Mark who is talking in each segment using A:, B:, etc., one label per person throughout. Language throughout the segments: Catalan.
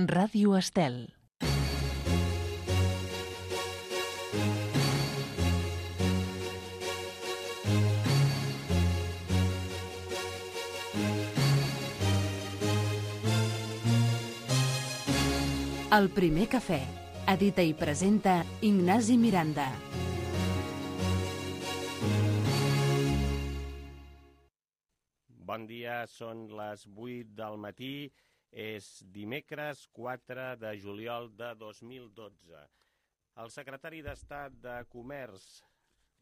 A: Ràdio Estel. El primer cafè. Edita i presenta Ignasi Miranda.
B: Bon dia, són les 8 del matí, és dimecres 4 de juliol de 2012. El secretari d'Estat de Comerç,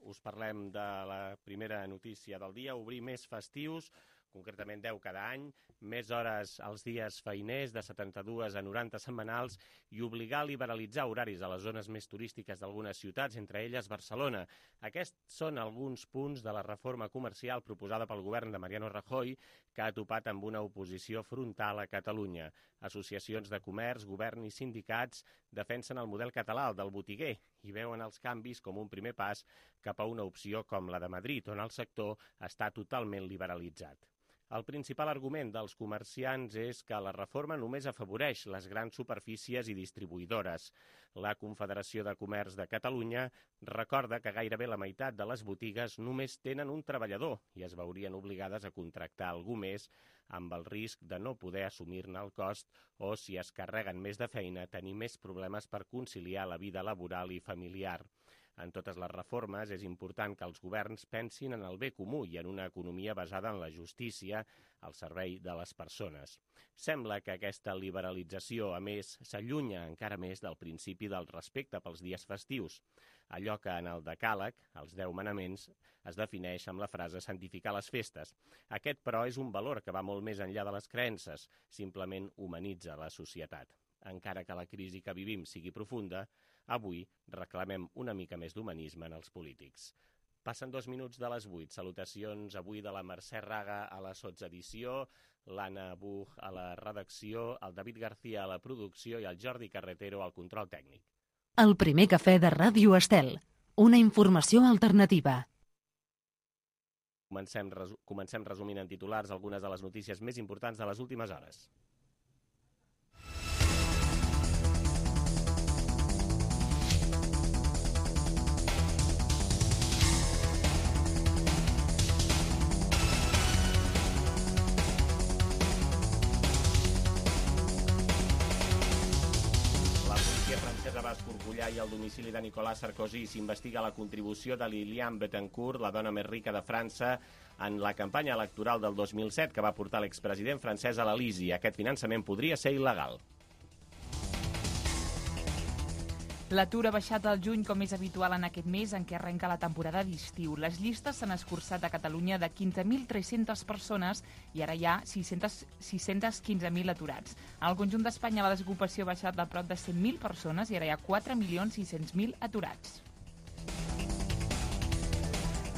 B: us parlem de la primera notícia del dia, obrir més festius, concretament 10 cada any, més hores als dies feiners de 72 a 90 setmanals i obligar a liberalitzar horaris a les zones més turístiques d'algunes ciutats, entre elles Barcelona. Aquests són alguns punts de la reforma comercial proposada pel govern de Mariano Rajoy, que ha topat amb una oposició frontal a Catalunya. Associacions de comerç, govern i sindicats defensen el model català, el del botiguer, i veuen els canvis com un primer pas cap a una opció com la de Madrid, on el sector està totalment liberalitzat. El principal argument dels comerciants és que la reforma només afavoreix les grans superfícies i distribuïdores. La Confederació de Comerç de Catalunya recorda que gairebé la meitat de les botigues només tenen un treballador i es veurien obligades a contractar algú més amb el risc de no poder assumir-ne el cost o, si es carreguen més de feina, tenir més problemes per conciliar la vida laboral i familiar. En totes les reformes és important que els governs pensin en el bé comú i en una economia basada en la justícia al servei de les persones. Sembla que aquesta liberalització, a més, s'allunya encara més del principi del respecte pels dies festius. Allò que en el decàleg, els 10 manaments, es defineix amb la frase santificar les festes. Aquest, però, és un valor que va molt més enllà de les creences, simplement humanitza la societat. Encara que la crisi que vivim sigui profunda, avui reclamem una mica més d'humanisme en els polítics. Passen 2 minuts de les 8. Salutacions avui de la Mercè Raga a la sotsedició, l'Anna Buch a la redacció, el David García a la producció i el Jordi Carretero al control tècnic.
A: El primer cafè de Ràdio Estel. Una informació alternativa.
B: Comencem resumint en titulars algunes de les notícies més importants de les últimes hores. Va escorcollar i al domicili de Nicolas Sarkozy s'investiga la contribució de Liliane Bettencourt, la dona més rica de França, en la campanya electoral del 2007 que va portar l'expresident francès a l'Elisi. Aquest finançament podria ser il·legal.
C: L'atur ha baixat al juny, com és habitual en aquest mes en què arrenca la temporada d'estiu. Les llistes s'han escurçat a Catalunya de 15.300 persones i ara hi ha 615.000 aturats. En el conjunt d'Espanya la desocupació ha baixat a prop de 100.000 persones i ara hi ha 4.600.000 aturats.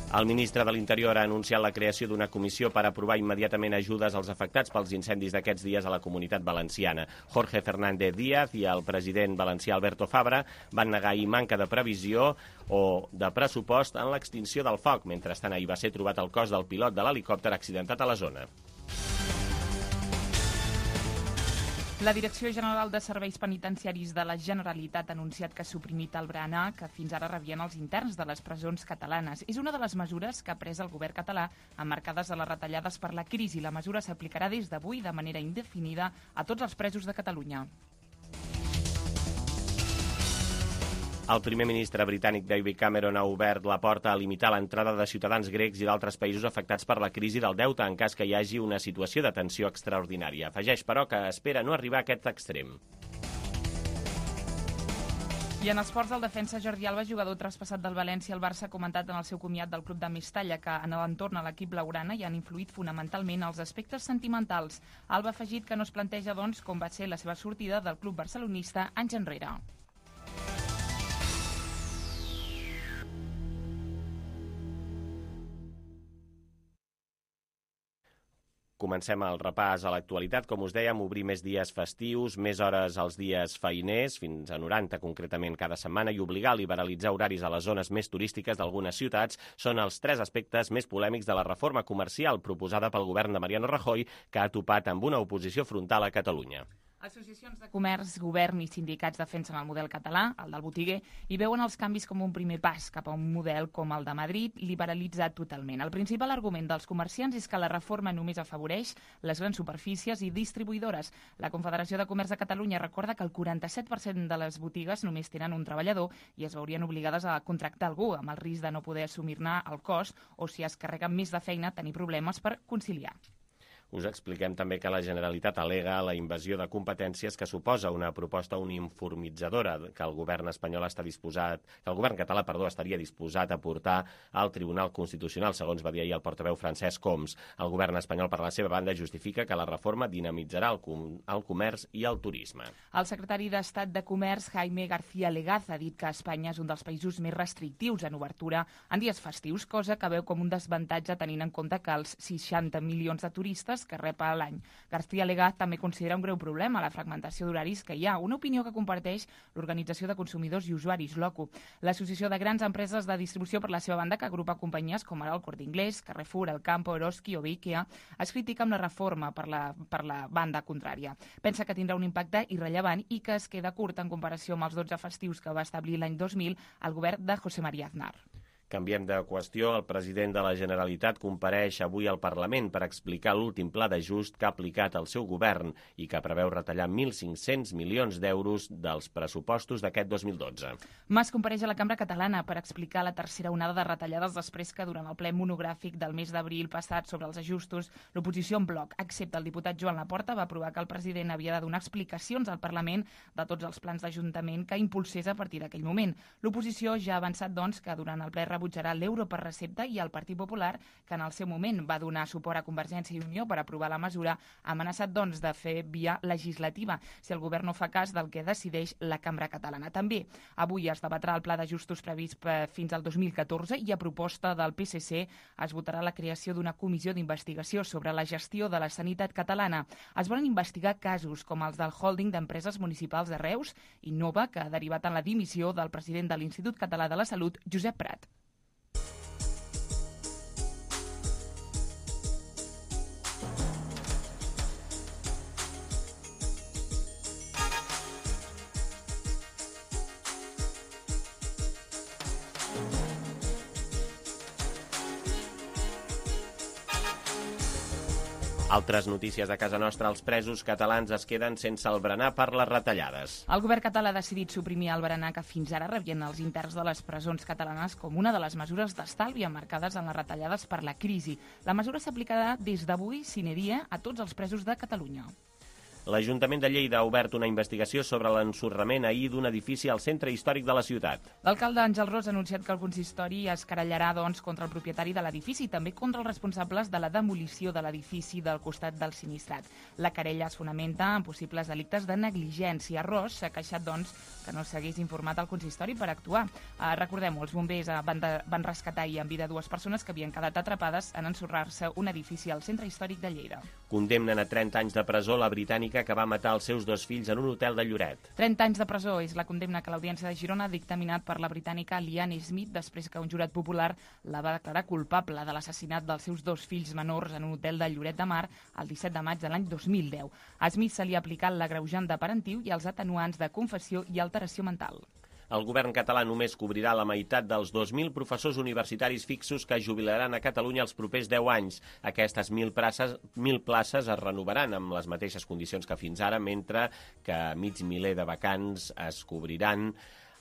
B: El ministre de l'Interior ha anunciat la creació d'una comissió per aprovar immediatament ajudes als afectats pels incendis d'aquests dies a la Comunitat Valenciana. Jorge Fernández Díaz i el president valencià Alberto Fabra van negar ahir manca de previsió o de pressupost en l'extinció del foc. Mentrestant, ahir va ser trobat el cos del pilot de l'helicòpter accidentat a la zona.
C: La Direcció General de Serveis Penitenciaris de la Generalitat ha anunciat que ha suprimit el berenar que fins ara rebien els interns de les presons catalanes. És una de les mesures que ha pres el govern català emmarcades a les retallades per la crisi. La mesura s'aplicarà des d'avui de manera indefinida a tots els presos de Catalunya.
B: El primer ministre britànic David Cameron ha obert la porta a limitar l'entrada de ciutadans grecs i d'altres països afectats per la crisi del deute en cas que hi hagi una situació de tensió extraordinària. Afegeix, però, que espera no arribar a aquest extrem.
C: I en esports, el defensa Jordi Alba, jugador traspassat del València al Barça, ha comentat en el seu comiat del club de Mestalla que en l'entorn a l'equip blaugrana hi han influït fonamentalment els aspectes sentimentals. Alba ha afegit que no es planteja, doncs, com va ser la seva sortida del club barcelonista anys enrere.
B: Comencem el repàs a l'actualitat. Com us dèiem, obrir més dies festius, més hores als dies feiners, fins a 90 concretament cada setmana, i obligar a liberalitzar horaris a les zones més turístiques d'algunes ciutats són els 3 aspectes més polèmics de la reforma comercial proposada pel govern de Mariano Rajoy, que ha topat amb una oposició frontal a Catalunya.
C: Associacions de comerç, govern i sindicats defensen el model català, el del botiguer, i veuen els canvis com un primer pas cap a un model com el de Madrid, liberalitzat totalment. El principal argument dels comerciants és que la reforma només afavoreix les grans superfícies i distribuïdores. La Confederació de Comerç de Catalunya recorda que el 47% de les botigues només tenen un treballador i es veurien obligades a contractar algú, amb el risc de no poder assumir-ne el cost o, si es carreguen més de feina, tenir problemes per conciliar.
B: Us expliquem també que la Generalitat al·lega la invasió de competències que suposa una proposta uniformitzadora que el govern espanyol que el govern català, estaria disposat a portar al Tribunal Constitucional, segons va dir ahir el portaveu Francesc Homs. El govern espanyol, per la seva banda, justifica que la reforma dinamitzarà el comerç i el turisme.
C: El secretari d'Estat de Comerç, Jaime García Legaz, ha dit que Espanya és un dels països més restrictius en obertura en dies festius, cosa que veu com un desavantatge tenint en compte que els 60 milions de turistes que rep a l'any. García Legaz també considera un greu problema la fragmentació d'horaris que hi ha, una opinió que comparteix l'Organització de Consumidors i Usuaris, l'OCU. L'Associació de Grans Empreses de Distribució, per la seva banda, que agrupa companyies com ara el Corte Inglés, Carrefour, El Campo, Eroski o Ikea, es critica amb la reforma per la banda contrària. Pensa que tindrà un impacte irrellevant i que es queda curt en comparació amb els 12 festius que va establir l'any 2000 el govern de José María Aznar.
B: Canviem de qüestió. El president de la Generalitat compareix avui al Parlament per explicar l'últim pla d'ajust que ha aplicat el seu govern i que preveu retallar 1.500 milions d'euros dels pressupostos d'aquest 2012.
C: Mas compareix a la Cambra Catalana per explicar la tercera onada de retallades després que durant el ple monogràfic del mes d'abril passat sobre els ajustos, l'oposició en bloc, excepte el diputat Joan Laporta, va aprovar que el president havia de donar explicacions al Parlament de tots els plans d'Ajuntament que impulsés a partir d'aquell moment. L'oposició ja ha avançat, doncs, que durant el ple rebutjarà l'euro per recepta i el Partit Popular, que en el seu moment va donar suport a Convergència i Unió per aprovar la mesura, ha amenaçat, doncs, de fer via legislativa si el govern no fa cas del que decideix la Cambra Catalana. També avui es debatrà el pla d'ajustos previst fins al 2014 i a proposta del PSC es votarà la creació d'una comissió d'investigació sobre la gestió de la sanitat catalana. Es volen investigar casos com els del holding d'empreses municipals de Reus, Innova, que ha derivat en la dimissió del president de l'Institut Català de la Salut, Josep Prat.
B: Altres notícies de casa nostra. Els presos catalans es queden sense el berenar per les retallades.
C: El govern català ha decidit suprimir el berenar que fins ara rebien els interns de les presons catalanes com una de les mesures d'estalvi emmarcades en les retallades per la crisi. La mesura s'aplicarà des d'avui, sine die, a tots els presos de Catalunya.
B: L'Ajuntament de Lleida ha obert una investigació sobre l'ensorrament ahir d'un edifici al centre històric de la ciutat.
C: L'alcalde Àngel Ros ha anunciat que el consistori es querellarà, doncs, contra el propietari de l'edifici i també contra els responsables de la demolició de l'edifici del costat del sinistrat. La querella es fonamenta en possibles delictes de negligència. Ros s'ha queixat, doncs, que no s'hagués informat al consistori per actuar. Recordem-ho, els bombers van rescatar ahir en vida dues persones que havien quedat atrapades en ensorrar-se un edifici al centre històric de Lleida.
B: Condemnen a 30 anys de presó la britànica que va matar els seus dos fills en un hotel de Lloret.
C: 30 anys de presó és la condemna que l'Audiència de Girona ha dictaminat per la britànica Liane Smith després que un jurat popular la va declarar culpable de l'assassinat dels seus dos fills menors en un hotel de Lloret de Mar el 17 de maig de l'any 2010. A Smith se li ha aplicat l'agreujant de parentiu i els atenuants de confessió i alteració mental.
B: El govern català només cobrirà la meitat dels 2.000 professors universitaris fixos que jubilaran a Catalunya els propers 10 anys. Aquestes 1.000 places es renovaran amb les mateixes condicions que fins ara, mentre que mig miler de vacants es cobriran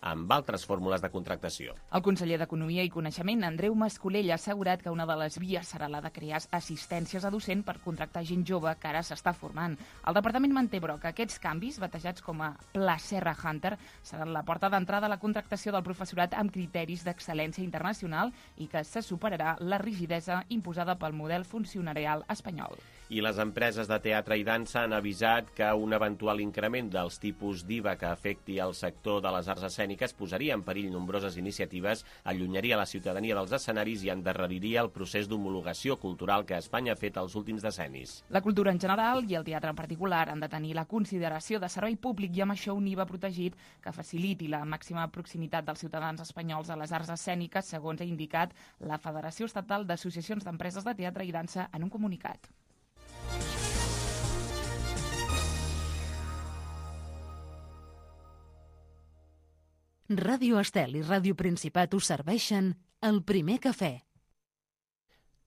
B: amb altres fórmules de contractació.
C: El conseller d'Economia i Coneixement, Andreu Mascolell, ha assegurat que una de les vies serà la de crear assistències a docent per contractar gent jove que ara s'està formant. El departament manté, però, que aquests canvis, batejats com a Pla Serra Hunter, seran la porta d'entrada a la contractació del professorat amb criteris d'excel·lència internacional i que se superarà la rigidesa imposada pel model funcionarial espanyol.
B: I les empreses de teatre i dansa han avisat que un eventual increment dels tipus d'IVA que afecti el sector de les arts escèniques posaria en perill nombroses iniciatives, allunyaria la ciutadania dels escenaris i endarreriria el procés d'homologació cultural que Espanya ha fet els últims decennis.
C: La cultura en general i el teatre en particular han de tenir la consideració de servei públic i amb això un IVA protegit que faciliti la màxima proximitat dels ciutadans espanyols a les arts escèniques, segons ha indicat la Federació Estatal d'Associacions d'Empreses de Teatre i Dansa en un comunicat.
A: Ràdio Estel i Ràdio Principat us serveixen el primer cafè.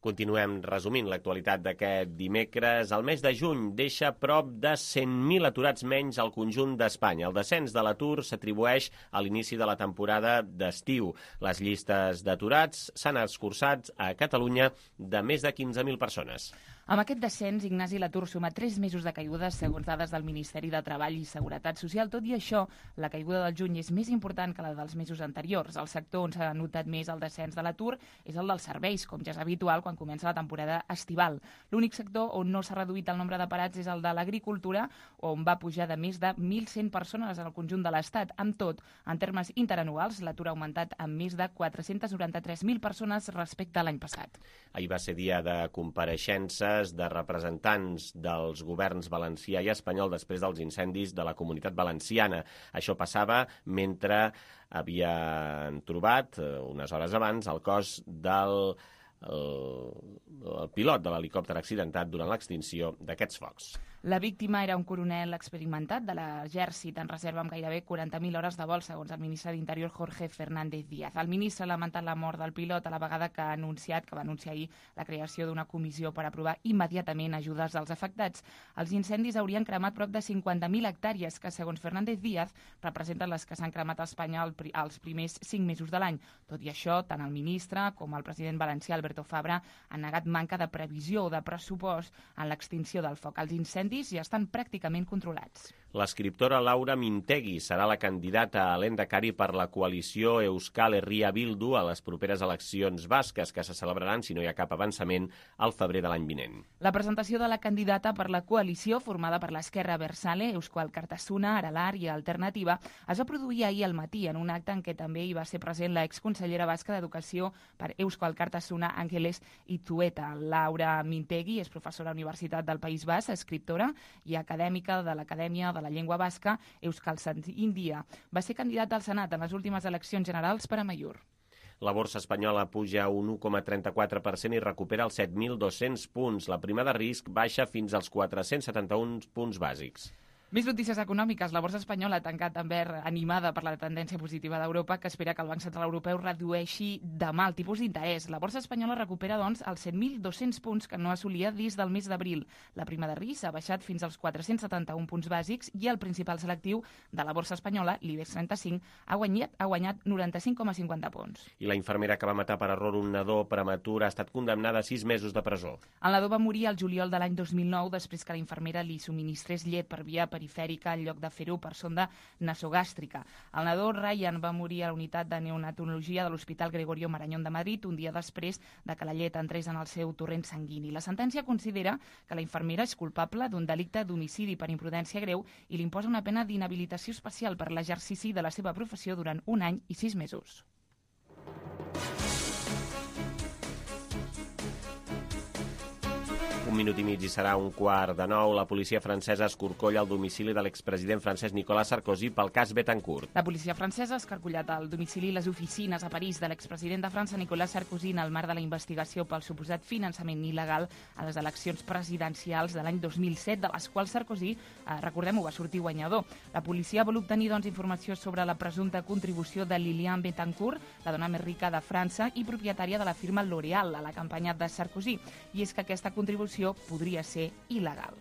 B: Continuem resumint l'actualitat d'aquest dimecres. El mes de juny deixa prop de 100.000 aturats menys al conjunt d'Espanya. El descens de l'atur s'atribueix a l'inici de la temporada d'estiu. Les llistes d'aturats s'han escurçat a Catalunya de més de 15.000 persones.
C: Amb aquest descens, Ignasi, l'atur suma 3 mesos de caiguda segons dades del Ministeri de Treball i Seguretat Social. Tot i això, la caiguda del juny és més important que la dels mesos anteriors. El sector on s'ha notat més el descens de l'atur és el dels serveis, com ja és habitual quan comença la temporada estival. L'únic sector on no s'ha reduït el nombre de parats és el de l'agricultura, on va pujar de més de 1.100 persones en el conjunt de l'Estat. Amb tot, en termes interanuals, l'atur ha augmentat amb més de 493.000 persones respecte a l'any passat.
B: Ahir va ser dia de compareixences de representants dels governs valencià i espanyol després dels incendis de la Comunitat Valenciana. Això passava mentre havien trobat, unes hores abans, el cos del pilot de l'helicòpter accidentat durant l'extinció d'aquests focs.
C: La víctima era un coronel experimentat de l'exèrcit en reserva amb gairebé 40.000 hores de vol, segons el ministre d'Interior Jorge Fernández Díaz. El ministre ha lamentat la mort del pilot a la vegada que va anunciar ahir la creació d'una comissió per aprovar immediatament ajudes als afectats. Els incendis haurien cremat prop de 50.000 hectàrees, que, segons Fernández Díaz, representen les que s'han cremat a Espanya els primers 5 mesos de l'any. Tot i això, tant el ministre com el president valencià, Alberto Fabra, han negat manca de previsió o de pressupost en l'extinció del foc. Els incendis ja estan pràcticament controlats.
B: L'escriptora Laura Mintegui serà la candidata a l'Endacari per la coalició Euskal Herria Bildu a les properes eleccions basques, que se celebraran, si no hi ha cap avançament, al febrer de l'any vinent.
C: La presentació de la candidata per la coalició, formada per l'Esquerra Abertzale, Eusko Alkartasuna, Aralar i Alternativa, es va produir ahir al matí en un acte en què també hi va ser present la exconsellera basca d'Educació per Eusko Alkartasuna, Ángeles Itzueta. Laura Mintegui és professora a la Universitat del País Basc, escriptora i acadèmica de l'Acadèmia de la Llengua Basca, Euskaltzaindia. Va ser candidata al Senat en les últimes eleccions generals per Amaiur.
B: La borsa espanyola puja un 1,34% i recupera els 7.200 punts. La prima de risc baixa fins als 471 punts bàsics.
C: Més notícies econòmiques. La borsa espanyola ha tancat en verd, animada per la tendència positiva d'Europa, que espera que el Banc Central Europeu redueixi demà el tipus d'interès. La borsa espanyola recupera, doncs, els 7.200 punts que no assolia des del mes d'abril. La prima de risc ha baixat fins als 471 punts bàsics i el principal selectiu de la borsa espanyola, l'IBEX 35, ha guanyat 95,50 punts.
B: I la infermera que va matar per error un nadó prematur ha estat condemnada a 6 mesos de presó.
C: El nadó va morir al juliol de l'any 2009 després que la infermera li subministrés llet per via perifèrica en lloc de fer-ho per sonda nasogàstrica. El nadó Ryan va morir a la unitat de neonatologia de l'Hospital Gregorio Marañón de Madrid un dia després de que la llet entrés en el seu torrent sanguini. La sentència considera que la infermera és culpable d'un delicte d'homicidi per imprudència greu i li imposa una pena d'inhabilitació especial per l'exercici de la seva professió durant 1 any i 6 mesos.
B: Un minut i mig i serà 8:45. La policia francesa escorcolla el domicili de l'expresident francès Nicolas Sarkozy pel cas Betancourt.
C: La policia francesa ha escarcollat el domicili i les oficines a París de l'expresident de França Nicolas Sarkozy en el marc de la investigació pel suposat finançament il·legal a les eleccions presidencials de l'any 2007, de les quals Sarkozy, recordem-ho, va sortir guanyador. La policia vol obtenir, doncs, informació sobre la presumpta contribució de Liliane Betancourt, la dona més rica de França i propietària de la firma L'Oréal, a la campanya de Sarkozy. I és que aquesta contribució podria ser il·legal.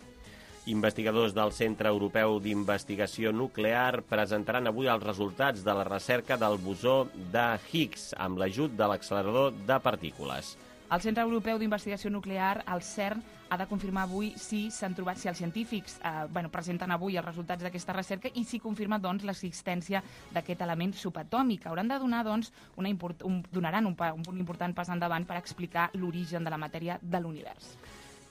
B: Investigadors del Centre Europeu d'Investigació Nuclear presentaran avui els resultats de la recerca del bosó de Higgs amb l'ajut de l'accelerador de partícules.
C: El Centre Europeu d'Investigació Nuclear, el CERN, ha de confirmar avui si els científics presenten avui els resultats d'aquesta recerca i si confirma, doncs, l'existència d'aquest element subatòmic. Hauran de donar, doncs, donaran un important pas endavant per explicar l'origen de la matèria de l'univers.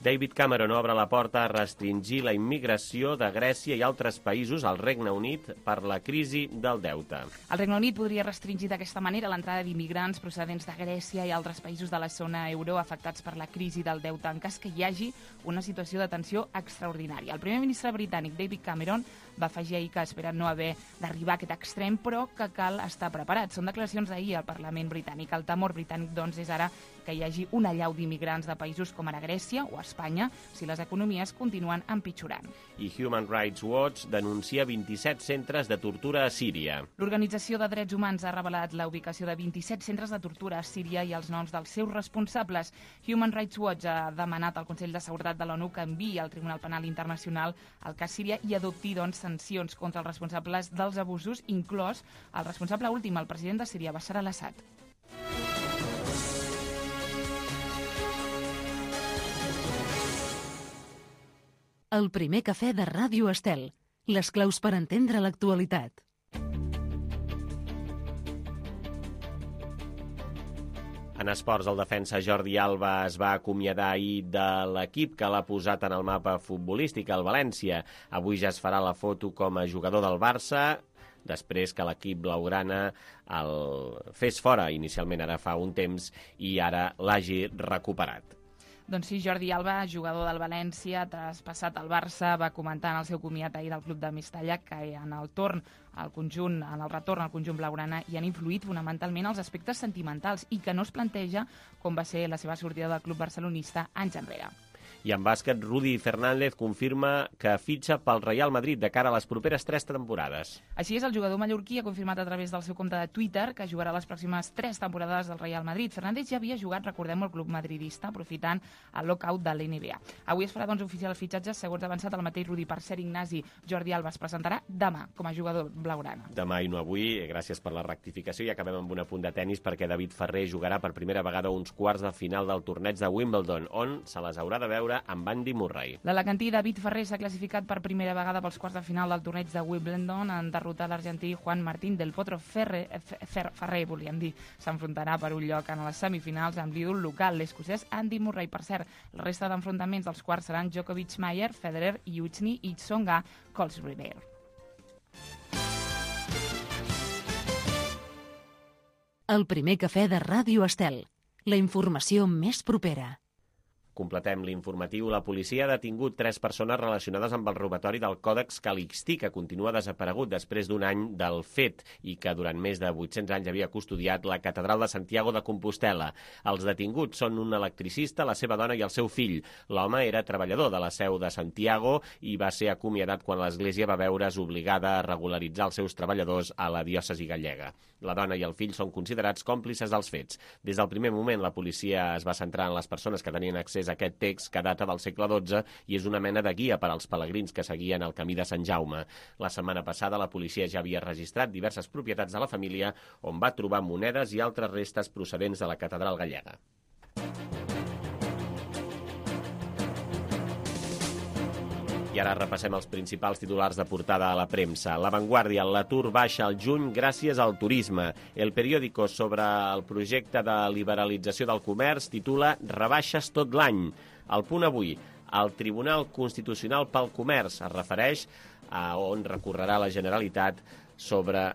B: David Cameron obre la porta a restringir la immigració de Grècia i altres països al Regne Unit per la crisi del deute.
C: El Regne Unit podria restringir d'aquesta manera l'entrada d'immigrants procedents de Grècia i altres països de la zona euro afectats per la crisi del deute en cas que hi hagi una situació de tensió extraordinària. El primer ministre britànic David Cameron Va afegir ahir que espera no haver d'arribar a aquest extrem, però que cal estar preparat. Són declaracions d'ahir al Parlament britànic. El temor britànic, doncs, és ara que hi hagi una allau d'immigrants de països com ara Grècia o Espanya si les economies continuen empitjorant.
B: I Human Rights Watch denuncia 27 centres de tortura a Síria.
C: L'Organització de Drets Humans ha revelat la ubicació de 27 centres de tortura a Síria i els noms dels seus responsables. Human Rights Watch ha demanat al Consell de Seguretat de l'ONU que enviï al Tribunal Penal Internacional el cas Síria i adopti, doncs, sancions contra els responsables dels abusos, inclòs el responsable últim, el president de Síria, Bashar al-Assad.
A: El primer cafè de Ràdio Estel. Les claus per entendre l'actualitat.
B: En esports, el defensa Jordi Alba es va acomiadar ahir de l'equip que l'ha posat en el mapa futbolístic, el València. Avui ja es farà la foto com a jugador del Barça, després que l'equip blaugrana el fes fora inicialment ara fa un temps i ara l'hagi recuperat.
C: Doncs sí, Jordi Alba, jugador del València, traspassat al Barça, va comentar en el seu comiat ahir del club de Mestalla que en el retorn al conjunt blaugrana hi han influït fonamentalment els aspectes sentimentals i que no es planteja com va ser la seva sortida del club barcelonista anys enrere.
B: I en bàsquet, Rudi Fernández confirma que fitxa pel Real Madrid de cara a les properes 3 temporades.
C: Així és, el jugador mallorquí ha confirmat a través del seu compte de Twitter que jugarà les pròximes 3 temporades del Real Madrid. Fernández ja havia jugat, recordem, el club madridista, aprofitant el lockout de l'NBA. Avui es farà, doncs, oficial el fitxatge, segons ha avançat el mateix Rudi. Per cert, Ignasi, Jordi Alba es presentarà demà com a jugador blaugrana.
B: Demà i no avui, gràcies per la rectificació. I acabem amb un apunt de tennis perquè David Ferrer jugarà per primera vegada uns quarts de final del torneig de Wimbledon, on se les haurà de veure amb Andy Murray.
C: L'alacantí David Ferrer s'ha classificat per primera vegada pels quarts de final del torneig de Wimbledon en derrotar l'argentí Juan Martín del Potro. Ferrer, volíem dir, s'enfrontarà per un lloc en les semifinals amb l'ídol local, l'escocès Andy Murray. Per cert, la resta d'enfrontaments dels quarts seran Djokovic-Mayer, Federer, Iuchny i Tsonga Colsriver.
A: El primer cafè de Ràdio Estel. La informació més propera.
B: Completem l'informatiu. La policia ha detingut 3 persones relacionades amb el robatori del Còdex Calixtí, que continua desaparegut després d'un any del fet i que durant més de 800 anys havia custodiat la catedral de Santiago de Compostela. Els detinguts són un electricista, la seva dona i el seu fill. L'home era treballador de la seu de Santiago i va ser acomiadat quan l'Església va veure's obligada a regularitzar els seus treballadors a la diòcesi gallega. La dona i el fill són considerats còmplices dels fets. Des del primer moment, la policia es va centrar en les persones que tenien accés a aquest text, que data del segle XII i és una mena de guia per als pelegrins que seguien el camí de Sant Jaume. La setmana passada, la policia ja havia registrat diverses propietats de la família on va trobar monedes i altres restes procedents de la catedral gallega. I ara repassem els principals titulars de portada a la premsa. La Vanguardia, l'atur baixa al juny gràcies al turisme. El periòdico sobre el projecte de liberalització del comerç titula Rebaixes tot l'any. El Punt Avui, el Tribunal Constitucional pel Comerç es refereix a on recorrerà la Generalitat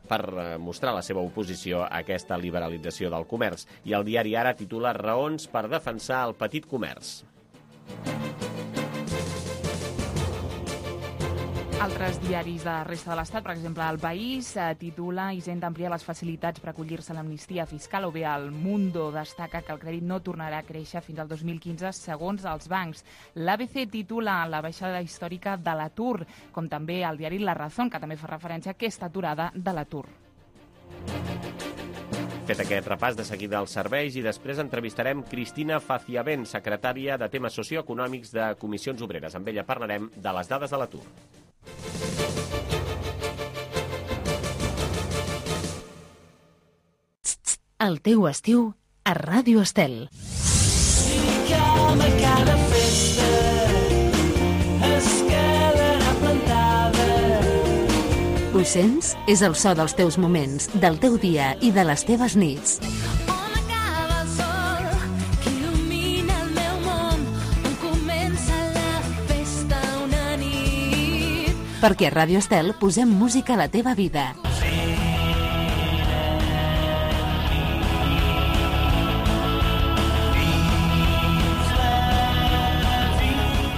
B: per mostrar la seva oposició a aquesta liberalització del comerç. I el diari Ara titula Raons per defensar el petit comerç.
C: Altres diaris de la resta de l'Estat, per exemple, El País titula Hisenda amplia les facilitats per acollir-se a l'amnistia fiscal, o bé El Mundo destaca que el crèdit no tornarà a créixer fins al 2015 segons els bancs. L'ABC titula la baixada històrica de l'atur, com també el diari La Razón, que també fa referència a aquesta aturada de l'atur.
B: Fet aquest repàs, de seguida als serveis i després entrevistarem Cristina Faciavent, secretària de temes socioeconòmics de Comissions Obreres. Amb ella parlarem de les dades de l'atur.
A: El teu estiu a Ràdio Estel. Cada festa escalarà plantada. Ho sents? És el so dels teus moments, del teu dia i de les teves nits. On acaba el sol que il·lumina el meu món, on comença la festa una nit. Perquè a Ràdio Estel posem música a la teva vida.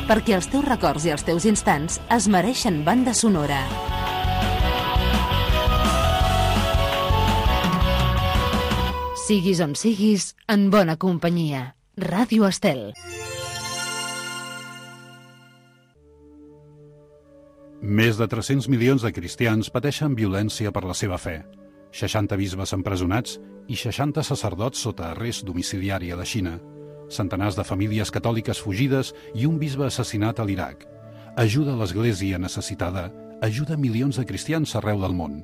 A: perquè els teus records i els teus instants es mereixen banda sonora. Siguis on siguis, en bona companyia. Ràdio Estel.
D: Més de 300 milions de cristians pateixen violència per la seva fe. 60 bisbes empresonats i 60 sacerdots sota arrest domiciliari a la Xina. Centenars de famílies catòliques fugides i un bisbe assassinat a l'Iraq. Ajuda a l'Església necessitada, ajuda milions de cristians arreu del món.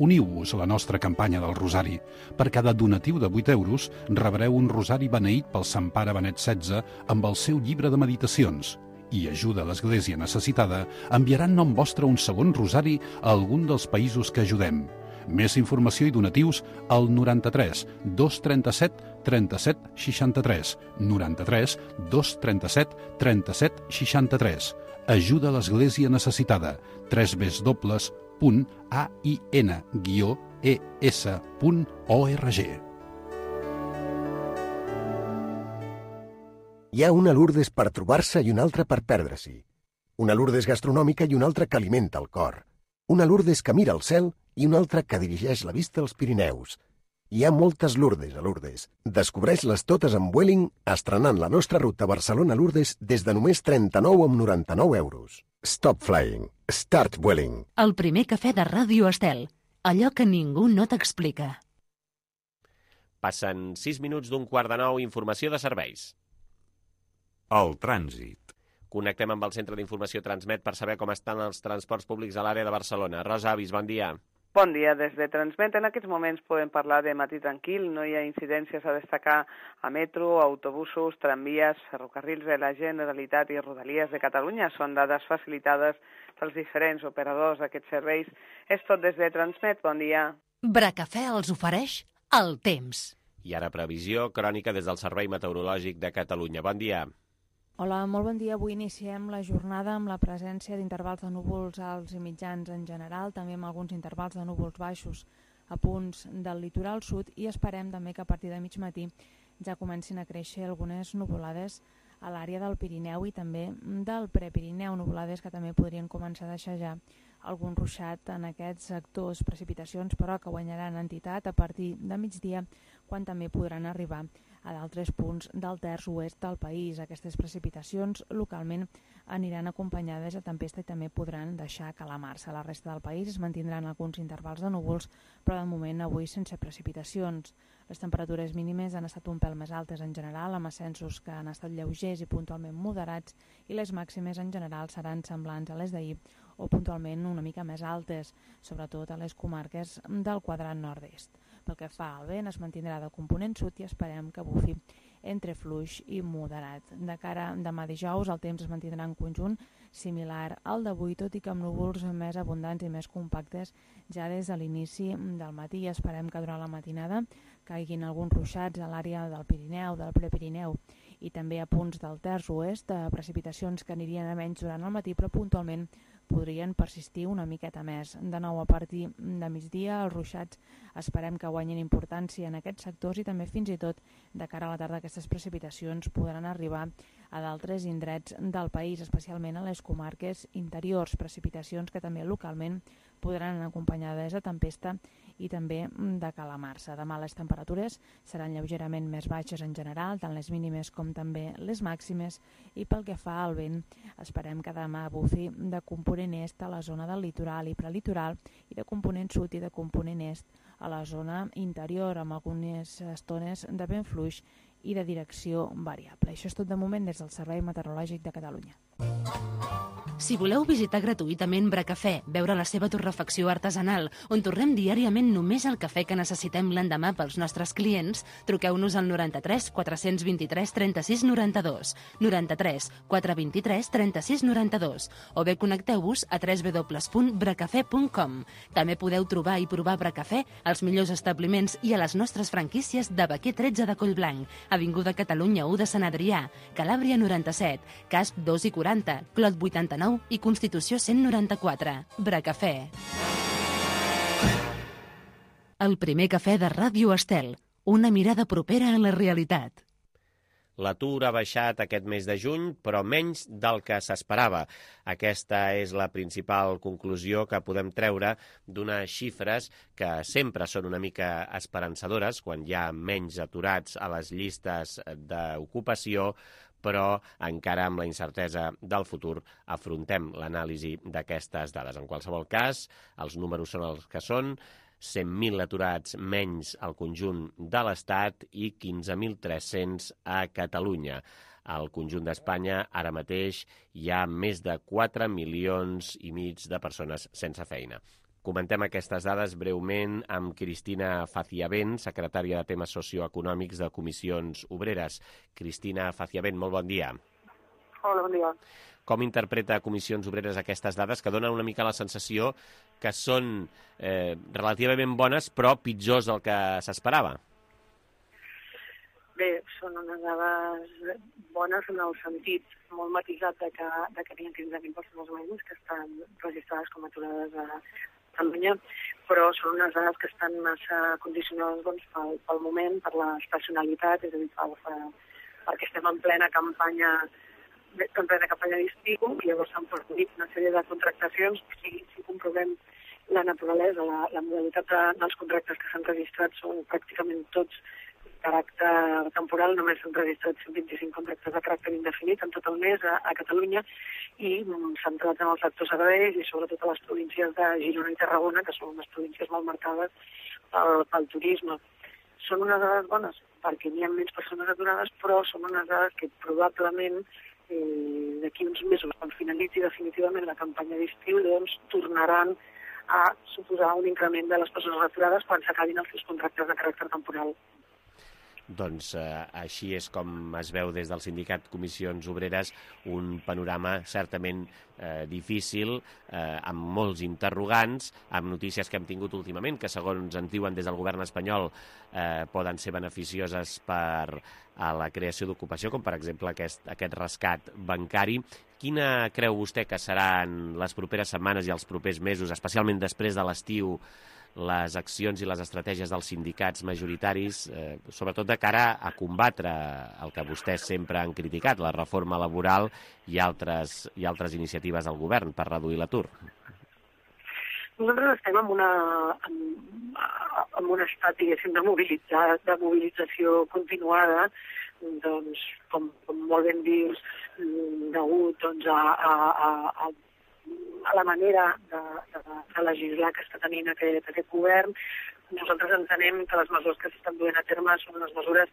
D: Uniu-vos a la nostra campanya del Rosari. Per cada donatiu de 8 euros rebreu un rosari beneït pel Sant Pare Benet XVI amb el seu llibre de meditacions. I ajuda a l'Església necessitada enviarà en nom vostre un segon rosari a algun dels països que ajudem. Més informació i donatius al 93 237 37 63. 93 237 37 63. Ajuda a l'Església necessitada. www.ain-es.org.
E: Hi ha una Lourdes per trobar-se i una altra per perdre-s'hi. Una Lourdes gastronòmica i una altra que alimenta el cor. Una Lourdes que mira al cel i una altra que dirigeix la vista als Pirineus. Hi ha moltes Lourdes a Lourdes. Descobreix-les totes amb Vueling, estrenant la nostra ruta Barcelona-Lourdes des de només 39,99 euros. Stop flying. Start Vueling.
A: El primer cafè de Ràdio Estel. Allò que ningú no t'explica.
B: Passen 6 minuts d'un quart de 9, informació de serveis.
F: El trànsit.
B: Connectem amb el Centre d'Informació Transmet per saber com estan els transports públics a l'àrea de Barcelona. Rosa Avis, bon dia.
G: Bon dia, des de Transmet. En aquests moments podem parlar de matí tranquil, no hi ha incidències a destacar a metro, autobusos, tramvies, ferrocarrils de la Generalitat i Rodalies de Catalunya. Són dades facilitades pels diferents operadors d'aquests serveis. És tot des de Transmet. Bon dia.
A: Bracafè els ofereix el temps.
B: I ara previsió crònica des del Servei Meteorològic de Catalunya. Bon dia.
H: Hola, molt bon dia. Avui iniciem la jornada amb la presència d'intervals de núvols alts i mitjans en general, també amb alguns intervals de núvols baixos a punts del litoral sud i esperem també que a partir de mig matí ja comencin a créixer algunes nuvolades a l'àrea del Pirineu i també del Prepirineu, nuvolades que també podrien començar a deixar ja algun ruixat en aquests sectors, precipitacions però que guanyaran entitat a partir de migdia quan també podran arribar a d'altres punts del terç oest del país. Aquestes precipitacions localment aniran acompanyades de tempesta i també podran deixar calamar-se. A la resta del país es mantindran alguns intervals de núvols, però de moment avui sense precipitacions. Les temperatures mínimes han estat un pèl més altes en general, amb ascensos que han estat lleugers i puntualment moderats, i les màximes en general seran semblants a les d'ahir o puntualment una mica més altes, sobretot a les comarques del quadrant nord-est. Pel que fa al vent, es mantindrà del component sud i esperem que bufi entre fluix i moderat. De cara a demà dijous, el temps es mantindrà en conjunt similar al d'avui, tot i que amb núvols més abundants i més compactes ja des de l'inici del matí. Esperem que durant la matinada caiguin alguns ruixats a l'àrea del Pirineu, del Prepirineu i també a punts del terç oest, precipitacions que anirien a menys durant el matí, però puntualment podrien persistir una miqueta més. De nou, a partir de migdia, els ruixats esperem que guanyin importància en aquests sectors i també fins i tot de cara a la tarda aquestes precipitacions podran arribar a d'altres indrets del país, especialment a les comarques interiors, precipitacions que també localment podran anar acompanyades de tempesta i també de calamar-se. Demà les temperatures seran lleugerament més baixes en general, tant les mínimes com també les màximes, i pel que fa al vent, esperem que demà bufi de component est a la zona del litoral i prelitoral i de component sud i de component est a la zona interior, amb algunes estones de vent fluix i de direcció variable. Això és tot de moment des del Servei Meteorològic de Catalunya.
A: Si voleu visitar gratuïtament Bracafè, veure la seva torrefacció artesanal, on torrem diàriament només el cafè que necessitem l'endemà pels nostres clients, truqueu-nos al 93 423 36 92, 93 423 36 92, o bé connecteu-vos a www.bracafè.com. També podeu trobar i provar Bracafè als millors establiments i a les nostres franquícies de Baquer 13 de Collblanc, Avinguda Catalunya 1 de Sant Adrià, Calàbria 97, Casp 2 i 40, Clot 89 i Constitució 194. Bracafè. El primer cafè de Ràdio Estel. Una mirada propera a la realitat.
B: L'atur ha baixat aquest mes de juny, però menys del que s'esperava. Aquesta és la principal conclusió que podem treure d'unes xifres que sempre són una mica esperançadores quan hi ha menys aturats a les llistes d'ocupació, però encara amb la incertesa del futur afrontem l'anàlisi d'aquestes dades. En qualsevol cas, els números són els que són, 100.000 aturats menys al conjunt de l'Estat i 15.300 a Catalunya. Al conjunt d'Espanya, ara mateix, hi ha més de 4,5 milions de persones sense feina. Comentem aquestes dades breument amb Cristina Faciavent, secretària de temes socioeconòmics de Comissions Obreres. Cristina Faciavent, molt bon dia.
I: Hola, bon dia.
B: Com interpreta Comissions Obreres aquestes dades que donen una mica la sensació que són relativament bones però pitjors del que s'esperava?
I: Bé, són unes dades bones en el sentit molt matisat de que hi ha 15.000 persones menys que estan registrades com aturades a Catalunya, però són unes dades que estan massa condicionades pel moment, per l'estacionalitat, és a dir, perquè estem en plena campanya d'estiu i llavors s'han produït una sèrie de contractacions. Si comprovem la naturalesa, la modalitat dels contractes que s'han registrat són pràcticament tots de caràcter temporal, només s'han registrat 125 contractes de caràcter indefinit en tot el mes a Catalunya i centrats en el sector serveis i sobretot a les províncies de Girona i Tarragona, que són unes províncies molt marcades pel turisme. Són unes dades bones perquè n'hi ha menys persones aturades, però són unes dades que probablement d'aquí uns mesos, quan finalitzi definitivament la campanya d'estiu, doncs tornaran a suposar un increment de les persones aturades quan s'acabin els seus contractes de caràcter temporal.
B: Doncs així és com es veu des del sindicat Comissions Obreres, un panorama certament difícil, amb molts interrogants, amb notícies que hem tingut últimament, que segons ens diuen des del govern espanyol poden ser beneficioses per a la creació d'ocupació, com per exemple aquest rescat bancari. Quina creu vostè que seran les properes setmanes i els propers mesos, especialment després de l'estiu, les accions i les estratègies dels sindicats majoritaris, sobretot de cara a combatre el que vostès sempre han criticat, la reforma laboral i altres iniciatives del govern per reduir l'atur?
I: Nosaltres estem en un estat, diguéssim, de mobilització continuada, doncs, com molt ben dius, degut a la manera de legislar que està tenint aquest govern. Nosaltres entenem que les mesures que s'estan duent a terme són unes mesures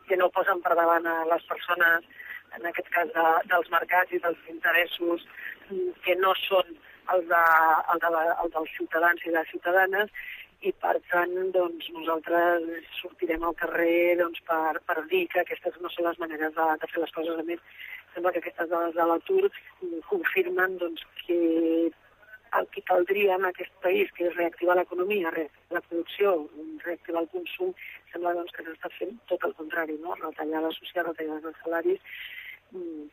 I: que no posen per davant a les persones, en aquest cas dels mercats i dels interessos, que no són els dels ciutadans i les ciutadanes, i per tant doncs, nosaltres sortirem al carrer per dir que aquestes no són les maneres de fer les coses. A més, sembla que aquestes dades de l'atur confirmen que el que caldria en aquest país, que és reactivar l'economia, reactivar la producció, reactivar el consum, sembla que s'està fent tot el contrari, no? Retallades socials, retallades dels salaris,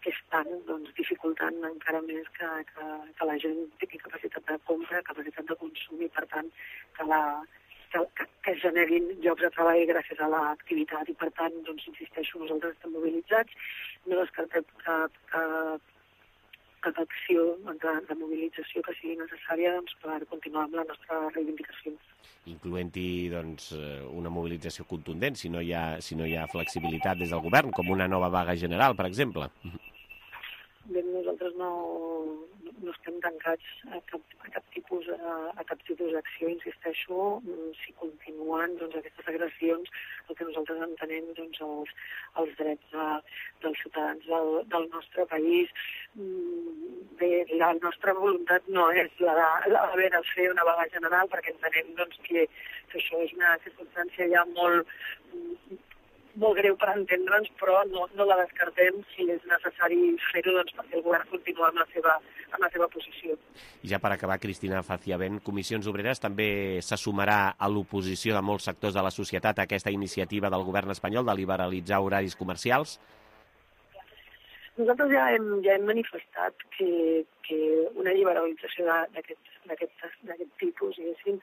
I: que estan dificultant encara més que la gent tingui capacitat de compra, capacitat de consum i, per tant, que es generin llocs de treball gràcies a l'activitat. I, per tant, insisteixo, nosaltres estem mobilitzats, no descartem cap acció de mobilització que sigui necessària per continuar amb la nostra reivindicació.
B: Incloent-hi una mobilització contundent, si no hi ha flexibilitat des del govern, com una nova vaga general, per exemple.
I: Bé, nosaltres no estem tancats a cap tipus d'acció, insisteixo. Si continuen aquestes agressions, el que nosaltres entenem els drets dels ciutadans del nostre país. Bé, la nostra voluntat no és haver de fer una vaga general, perquè entenem que això és una circumstància ja molt greu per entendre'ns, però no la descartem si és necessari fer-ho perquè el govern continua amb la seva posició.
B: I ja per acabar, Cristina Faciavent, Comissions Obreres també se sumarà a l'oposició de molts sectors de la societat a aquesta iniciativa del govern espanyol de liberalitzar horaris comercials?
I: Nosaltres ja hem manifestat que una liberalització d'aquest tipus, diguéssim,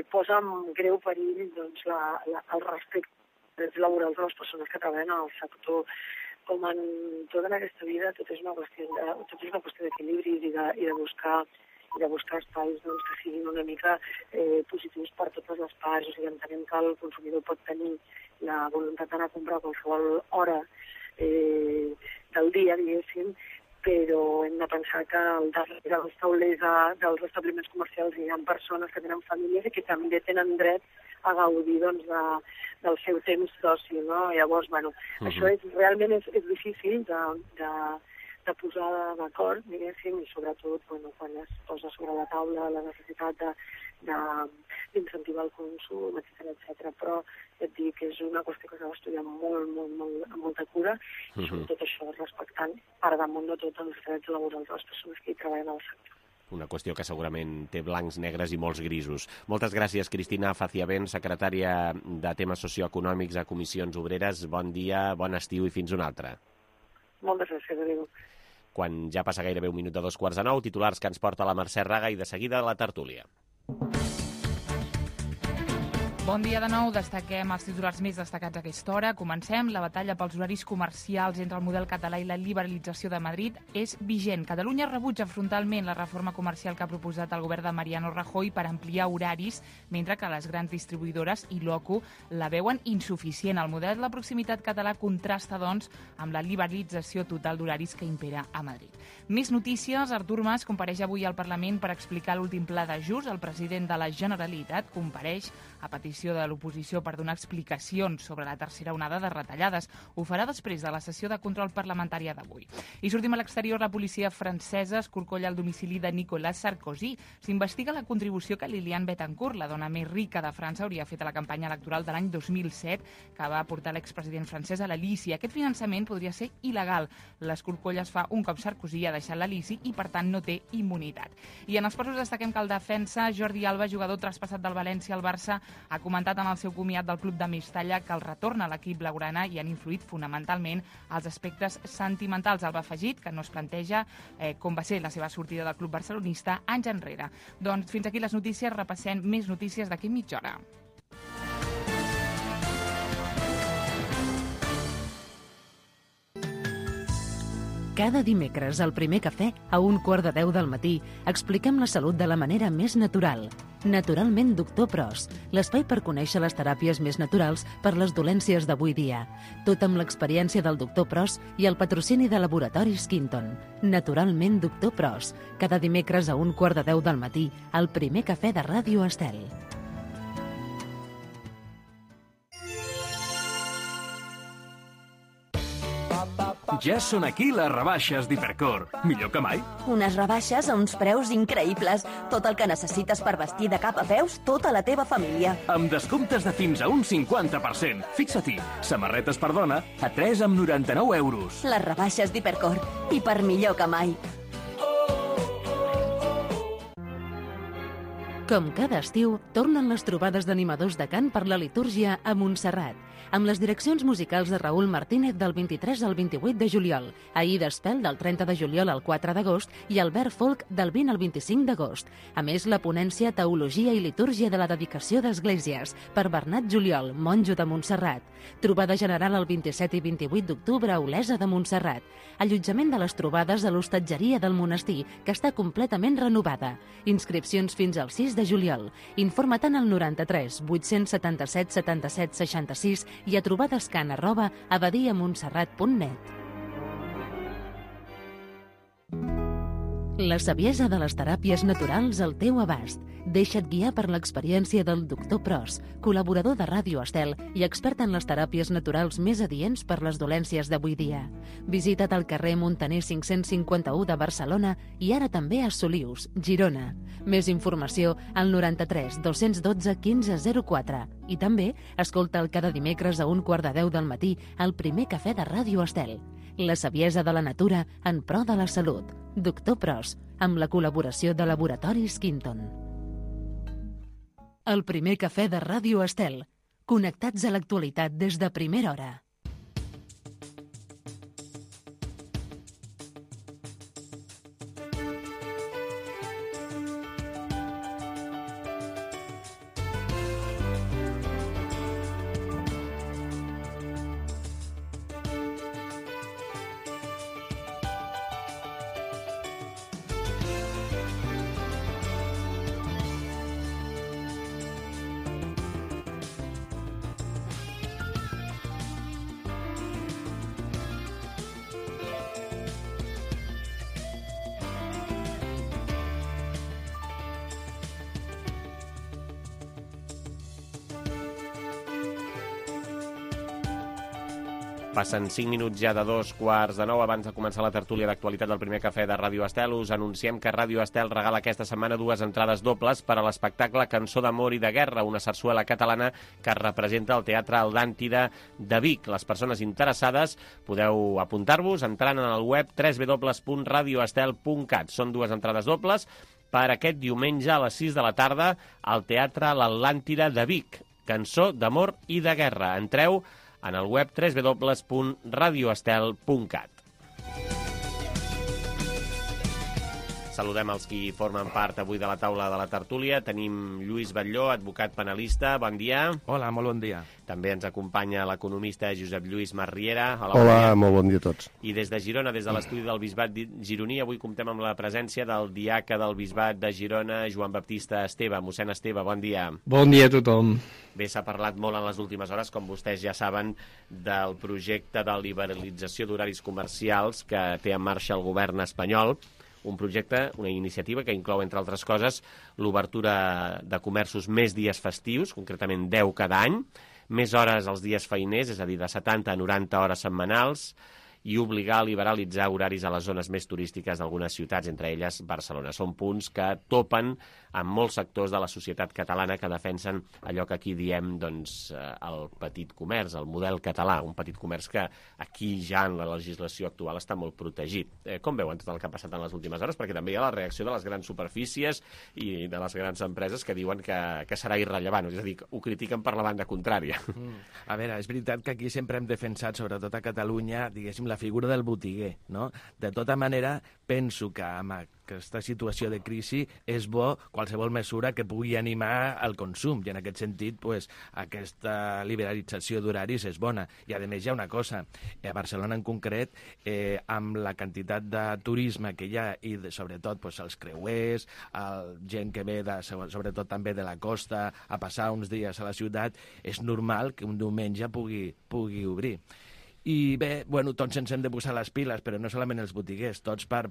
I: posa en greu perill el respecte drets laborals de les persones que treballen en el sector. Com en tota aquesta vida, tot és una qüestió d'equilibri i de buscar espais que siguin una mica positius per totes les parts. O sigui, entenem que el consumidor pot tenir la voluntat d'anar a comprar a qualsevol hora del dia, diguéssim, però hem de pensar que al darrere dels taulers dels establiments comercials hi ha persones que tenen famílies i que també tenen dret a gaudir del seu temps d'oci, no? Llavors, això realment és difícil de posar d'acord, diguéssim, i sobretot quan es posa sobre la taula la necessitat d'incentivar el consum, etc. Però et dic que és una qüestió que s'ha d'estudiar amb molta cura i sobretot això, respectant per damunt de tot els drets laborals de les persones que hi treballen al sector.
B: Una qüestió que segurament té blancs, negres i molts grisos. Moltes gràcies, Cristina Faciavent, secretària de temes socioeconòmics a Comissions Obreres. Bon dia, bon estiu i fins una altra.
I: Moltes gràcies, adéu.
B: Quan ja passa gairebé un minut de 8:45, titulars que ens porta la Mercè Raga i de seguida la tertúlia.
C: Bon dia de nou, destaquem els titulars més destacats a aquesta hora. Comencem. La batalla pels horaris comercials entre el model català i la liberalització de Madrid és vigent. Catalunya rebutja frontalment la reforma comercial que ha proposat el govern de Mariano Rajoy per ampliar horaris, mentre que les grans distribuïdores i l'OCU la veuen insuficient. El model de la proximitat català contrasta, doncs, amb la liberalització total d'horaris que impera a Madrid. Més notícies. Artur Mas compareix avui al Parlament per explicar l'últim pla d'ajust. El president de la Generalitat compareix a petició de l'oposició per donar explicacions sobre la tercera onada de retallades. Ho farà després de la sessió de control parlamentària d'avui. I sortim a l'exterior. La policia francesa escorcolla el domicili de Nicolas Sarkozy. S'investiga la contribució que Liliane Bettencourt, la dona més rica de França, hauria fet a la campanya electoral de l'any 2007, que va portar l'expresident francès a l'Elisi. Aquest finançament podria ser il·legal. L'escorcolla es fa un cop Sarkozy ha deixat l'Elisi i, per tant, no té immunitat. I en els posos destaquem que el defensa Jordi Alba, jugador traspassat del València al Barça, ha comentat en el seu comiat del club de Mestalla que el retorn a l'equip blaugrana hi han influït fonamentalment els aspectes sentimentals. Alba ha afegit que no es planteja com va ser la seva sortida del club barcelonista anys enrere. Doncs fins aquí les notícies. Repassem més notícies d'aquí mitja hora.
A: Cada dimecres, al Primer Cafè, a 9:15 del matí, expliquem la salut de la manera més natural. Naturalment Doctor Pros, l'espai per conèixer les teràpies més naturals per les dolències d'avui dia. Tot amb l'experiència del Doctor Pros i el patrocini de Laboratoris Quinton. Naturalment Doctor Pros, cada dimecres a 9:15 del matí, al Primer Cafè de Ràdio Estel.
J: Ja són aquí les rebaixes d'Hipercor. Millor que mai.
K: Unes rebaixes a uns preus increïbles. Tot el que necessites per vestir de cap a peus tota la teva família.
J: Amb descomptes de fins a un 50%. Fixa-t'hi, samarretes per dona a 3,99 €.
K: Les rebaixes d'Hipercor. I per millor que mai.
A: Com cada estiu, tornen les trobades d'animadors de cant per la litúrgia a Montserrat, amb les direccions musicals de Raül Martínez del 23 al 28 de juliol, Aida Espel del 30 de juliol al 4 d'agost i Albert Folk del 20 al 25 d'agost. A més, la ponència Teologia i Litúrgia de la Dedicació d'Esglésies per Bernat Juliol, monjo de Montserrat. Trobada general el 27 i 28 d'octubre a Olesa de Montserrat. Allotjament de les trobades a l'hostatgeria del monestir, que està completament renovada. Inscripcions fins al 6 de juliol. Informa-te'n al 93 877 77 66 i a trobadescan@abadiamontserrat.net. La saviesa de les teràpies naturals al teu abast. Deixa't guiar per l'experiència del Doctor Pros, col·laborador de Ràdio Estel i expert en les teràpies naturals més adients per les dolències d'avui dia. Visita't al carrer Montaner 551 de Barcelona i ara també a Solius, Girona. Més informació al 93 212 1504 i també escolta'l cada dimecres a 9:15 del matí al Primer Cafè de Ràdio Estel. La saviesa de la natura en pro de la salut. Doctor Pros, amb la col·laboració de Laboratoris Quinton. El Primer Cafè de Ràdio Estel. Connectats a l'actualitat des de primera hora.
B: Passen 5 minuts ja de 2:45. Abans de començar la tertúlia d'actualitat del primer cafè de Ràdio Estel, us anunciem que Ràdio Estel regala aquesta setmana 2 entrades dobles per a l'espectacle Cançó d'amor i de guerra, una sarsuela catalana que representa el Teatre Atlàntida de Vic. Les persones interessades podeu apuntar-vos entrant en el web www.radioestel.cat. Són 2 entrades dobles per aquest diumenge a les 6 de la tarda al Teatre l'Atlàntida de Vic. Cançó d'amor i de guerra. Entreu en el web www.radioestel.cat. Saludem els qui formen part avui de la taula de la tertúlia. Tenim Lluís Batlló, advocat penalista. Bon dia.
L: Hola, molt bon dia.
B: També ens acompanya l'economista Josep Lluís Marriera.
M: Hola, molt bon dia a tots.
B: I des de Girona, des de l'estudi del Bisbat gironí, avui comptem amb la presència del diaca del Bisbat de Girona, Joan Baptista Esteve. Mossèn Esteve, bon dia.
N: Bon dia a tothom.
B: Bé, s'ha parlat molt en les últimes hores, com vostès ja saben, del projecte de liberalització d'horaris comercials que té en marxa el govern espanyol. Un projecte, una iniciativa que inclou, entre altres coses, l'obertura de comerços més dies festius, concretament 10 cada any, més hores als dies feiners, és a dir, de 70 a 90 hores setmanals, i obligar a liberalitzar horaris a les zones més turístiques d'algunes ciutats, entre elles Barcelona. Són punts que topen amb molts sectors de la societat catalana que defensen allò que aquí diem doncs, el petit comerç, el model català, un petit comerç que aquí ja en la legislació actual està molt protegit. Com veuen tot el que ha passat en les últimes hores? Perquè també hi ha la reacció de les grans superfícies i de les grans empreses que diuen que serà irrellevant, és a dir, ho critiquen per la banda contrària.
L: A veure, és veritat que aquí sempre hem defensat, sobretot a Catalunya, diguéssim, la figura del botiguer, no? De tota manera, penso que amb aquesta situació de crisi és bo qualsevol mesura que pugui animar el consum, i en aquest sentit pues, aquesta liberalització d'horaris és bona. I a més hi ha una cosa, a Barcelona en concret, amb la quantitat de turisme que hi ha i sobretot pues, els creuers, gent que ve sobretot també de la costa a passar uns dies a la ciutat, és normal que un diumenge pugui obrir. I bé, bueno, tots ens hem de posar les piles, però no solament els botiguers, tots per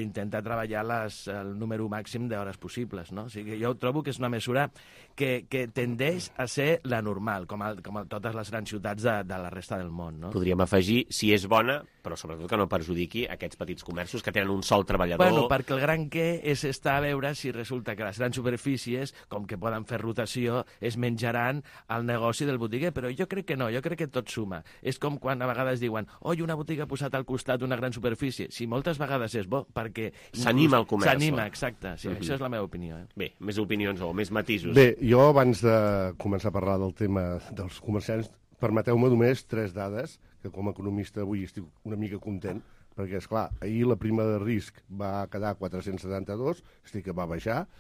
L: intentar treballar el número màxim d'hores possibles, no? O sigui, jo trobo que és una mesura que tendeix a ser la normal, com a totes les grans ciutats de la resta del món, no?
B: Podríem afegir, si és bona, però sobretot que no perjudiqui aquests petits comerços que tenen un sol treballador.
L: Bueno, perquè el gran què és estar a veure si resulta que les grans superfícies, com que poden fer rotació, es menjaran el negoci del botiguer, però jo crec que no, jo crec que tot suma. És com quan a vegades diuen, oi, una botiga ha posat al costat d'una gran superfície. Sí, moltes vegades és bo, perquè...
B: S'anima el comerç.
L: S'anima, exacte. Sí, això és la meva opinió.
B: Bé, més opinions o més matisos.
M: Bé, jo abans de començar a parlar del tema dels comerciants, permeteu-me només 3 dades, que com a economista avui estic una mica content, perquè, esclar, ahir la prima de risc va quedar a 472, és a dir, que va baixar.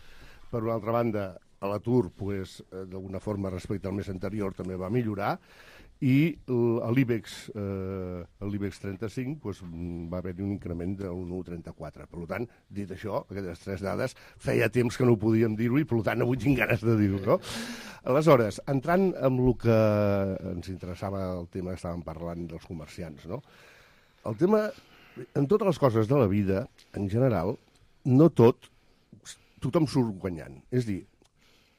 M: Per una altra banda, a l'atur, pues, d'alguna forma, respecte al mes anterior, també va millorar, i l'IBEX 35 pues, va haver-hi un increment d'un 1,34. Per tant, dit això, aquestes 3 dades, feia temps que no ho podíem dir-ho i per tant avui tinc ganes de dir-ho, no? Aleshores, entrant amb el que ens interessava el tema que estàvem parlant dels comerciants, no? El tema, en totes les coses de la vida, en general, no tothom surt guanyant. És a dir,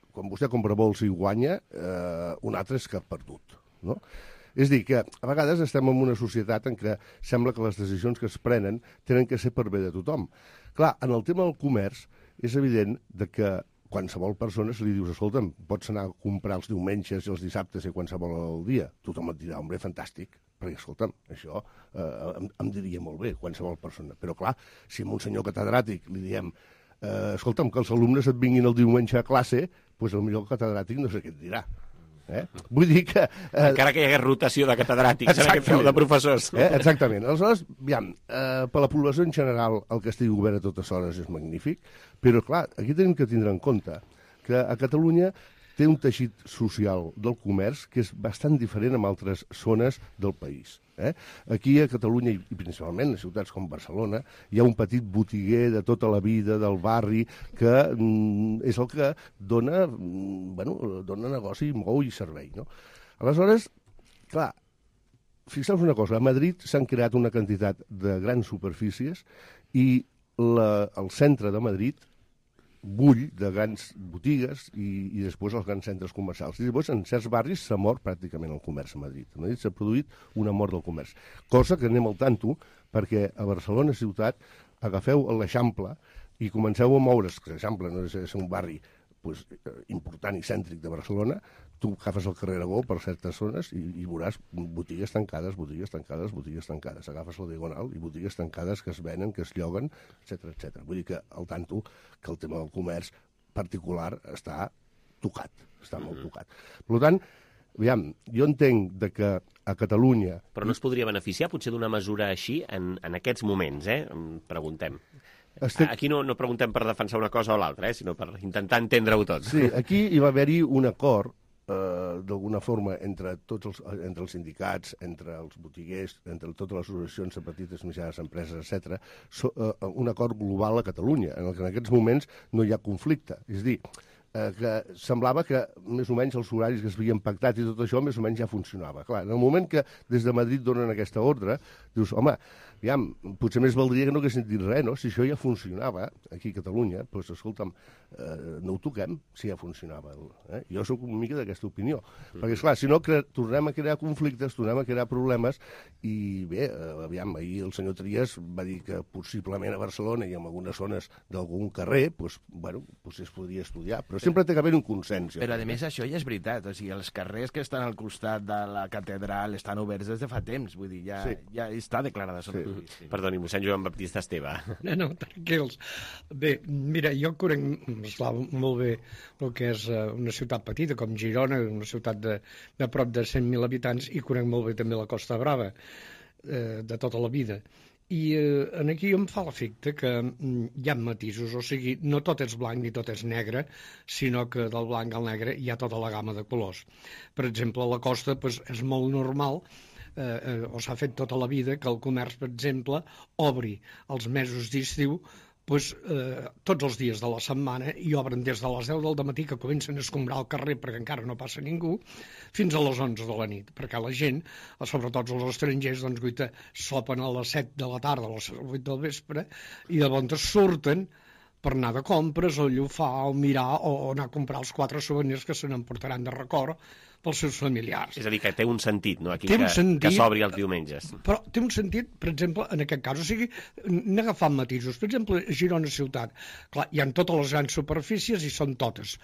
M: quan vostè compra bols i guanya, un altre és que ha perdut. No? És a dir, que a vegades estem en una societat en què sembla que les decisions que es prenen tenen que ser per bé de tothom. Clar, en el tema del comerç és evident que qualsevol persona se li dius, escolta'm, pots anar a comprar els diumenges i els dissabtes i qualsevol dia. Tothom et dirà, home, fantàstic, perquè, escolta'm, això em diria molt bé, qualsevol persona. Però, clar, si a un senyor catedràtic li diem, escolta'm, que els alumnes et vinguin el diumenge a classe, doncs potser el catedràtic no sé què et dirà. Vull dir que...
B: Encara que hi hagués rotació de catedràtics en aquest feu de professors.
M: Exactament. Aleshores, aviam, per la població en general el que estigui obert a totes hores és magnífic, però clar, aquí tenim que tindre en compte que a Catalunya té un teixit social del comerç que és bastant diferent amb altres zones del país. Aquí a Catalunya, i principalment a ciutats com Barcelona, hi ha un petit botiguer de tota la vida, del barri, que és el que dona negoci, mou i servei. No? Aleshores, clar, fixeu-vos una cosa, a Madrid s'han creat una quantitat de grans superfícies i el centre de Madrid bull de grans botigues i després els grans centres comercials. I llavors en certs barris s'ha mort pràcticament el comerç a Madrid. A Madrid s'ha produït una mort del comerç. Cosa que anem al tanto perquè a Barcelona ciutat agafeu l'Eixample i comenceu a moure's, que l'Eixample no és un barri important i cèntric de Barcelona, tu agafes el carrer Aragó per certes zones i veuràs botigues tancades, botigues tancades, botigues tancades. Agafes la Diagonal i botigues tancades que es venen, que es lloguen, etc. Vull dir que al tanto que el tema del comerç particular està tocat, està molt tocat. Per tant, aviam, jo entenc que a Catalunya...
B: Però no es podria beneficiar potser d'una mesura així en aquests moments, preguntem. Aquí no preguntem per defensar una cosa o l'altra, sinó per intentar entendre-ho tot.
M: Sí, aquí hi va haver-hi un acord, d'alguna forma, entre els sindicats, entre els botiguers, entre totes les associacions de petites i mitjanes empreses, etc., un acord global a Catalunya, en el que en aquests moments no hi ha conflicte. És a dir, que semblava que més o menys els horaris que s'havien pactat i tot això més o menys ja funcionava. Clar, en el moment que des de Madrid donen aquesta ordre, dius, home, aviam, potser més valdria que no haguessin dit res, no? Si això ja funcionava aquí a Catalunya, doncs, escolta'm, no ho toquem si ja funcionava. Jo sóc una mica d'aquesta opinió. Perquè, esclar, si no, tornem a crear conflictes, tornem a crear problemes, i bé, aviam, ahir el senyor Trias va dir que possiblement a Barcelona i en algunes zones d'algun carrer, doncs, bueno, potser es podria estudiar, però sempre té que haver un consens.
L: Però, a més, això ja és veritat. O sigui, els carrers que estan al costat de la catedral estan oberts des de fa temps. Vull dir, ja està declarada. Sí.
B: Perdoni, mossèn Joan Baptista Esteve.
N: No, tranquils. Bé, mira, jo conec molt bé el que és una ciutat petita com Girona, una ciutat de prop de 100.000 habitants, i conec molt bé també la Costa Brava, de tota la vida. I aquí em fa l'efecte que hi ha matisos, o sigui, no tot és blanc ni tot és negre, sinó que del blanc al negre hi ha tota la gamma de colors. Per exemple, a la costa és molt normal, o s'ha fet tota la vida, que el comerç, per exemple, obri els mesos d'estiu tots els dies de la setmana i obren des de les 10 del matí, que comencen a escombrar el carrer perquè encara no passa ningú, fins a les 11 de la nit, perquè la gent, sobretot els estrangers, doncs, sopen a les 7 de la tarda, a les 8 del vespre, i llavors surten per anar de compres, o llufar, o mirar, o anar a comprar els 4 souvenirs que se n'emportaran de record pels seus familiars.
B: És a dir, que té un sentit, no?, aquí, que s'obri els diumenges.
N: Però té un sentit, per exemple, en aquest cas. O sigui, n'he agafat matisos. Per exemple, Girona ciutat. Clar, hi ha totes les grans superfícies i són totes.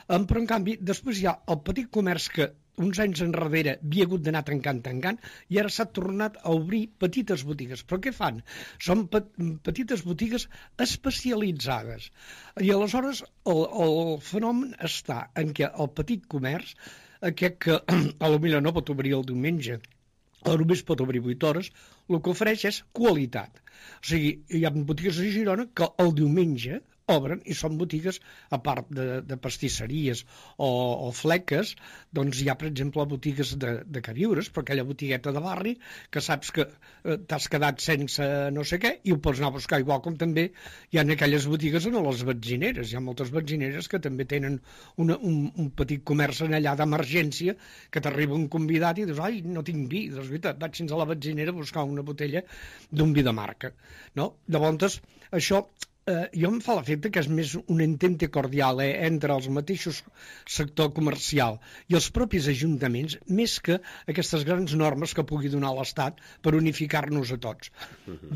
N: Però, en canvi, després hi ha el petit comerç que uns anys enrere havia hagut d'anar tancant, i ara s'ha tornat a obrir petites botigues. Però què fan? Són petites botigues especialitzades. I aleshores el fenomen està en què el petit comerç, aquest que potser no pot obrir el diumenge, o només pot obrir 8 hores, el que ofereix és qualitat. O sigui, hi ha botigues a Girona que el diumenge obren i són botigues, a part de pastisseries o fleques, doncs hi ha, per exemple, botigues de queviures, però aquella botigueta de barri que saps que t'has quedat sense no sé què i ho pots anar a buscar, igual com també hi ha aquelles botigues en les benzineres. Hi ha moltes benzineres que també tenen un petit comerç en allà d'emergència, que t'arriba un convidat i dius, ai, no tinc vi, doncs vaig fins a la benzinera a buscar una botella d'un vi de marca. Llavors, això jo em fa l'efecte que és més un entente cordial entre els mateixos sector comercial i els propis ajuntaments, més que aquestes grans normes que pugui donar l'Estat per unificar-nos a tots.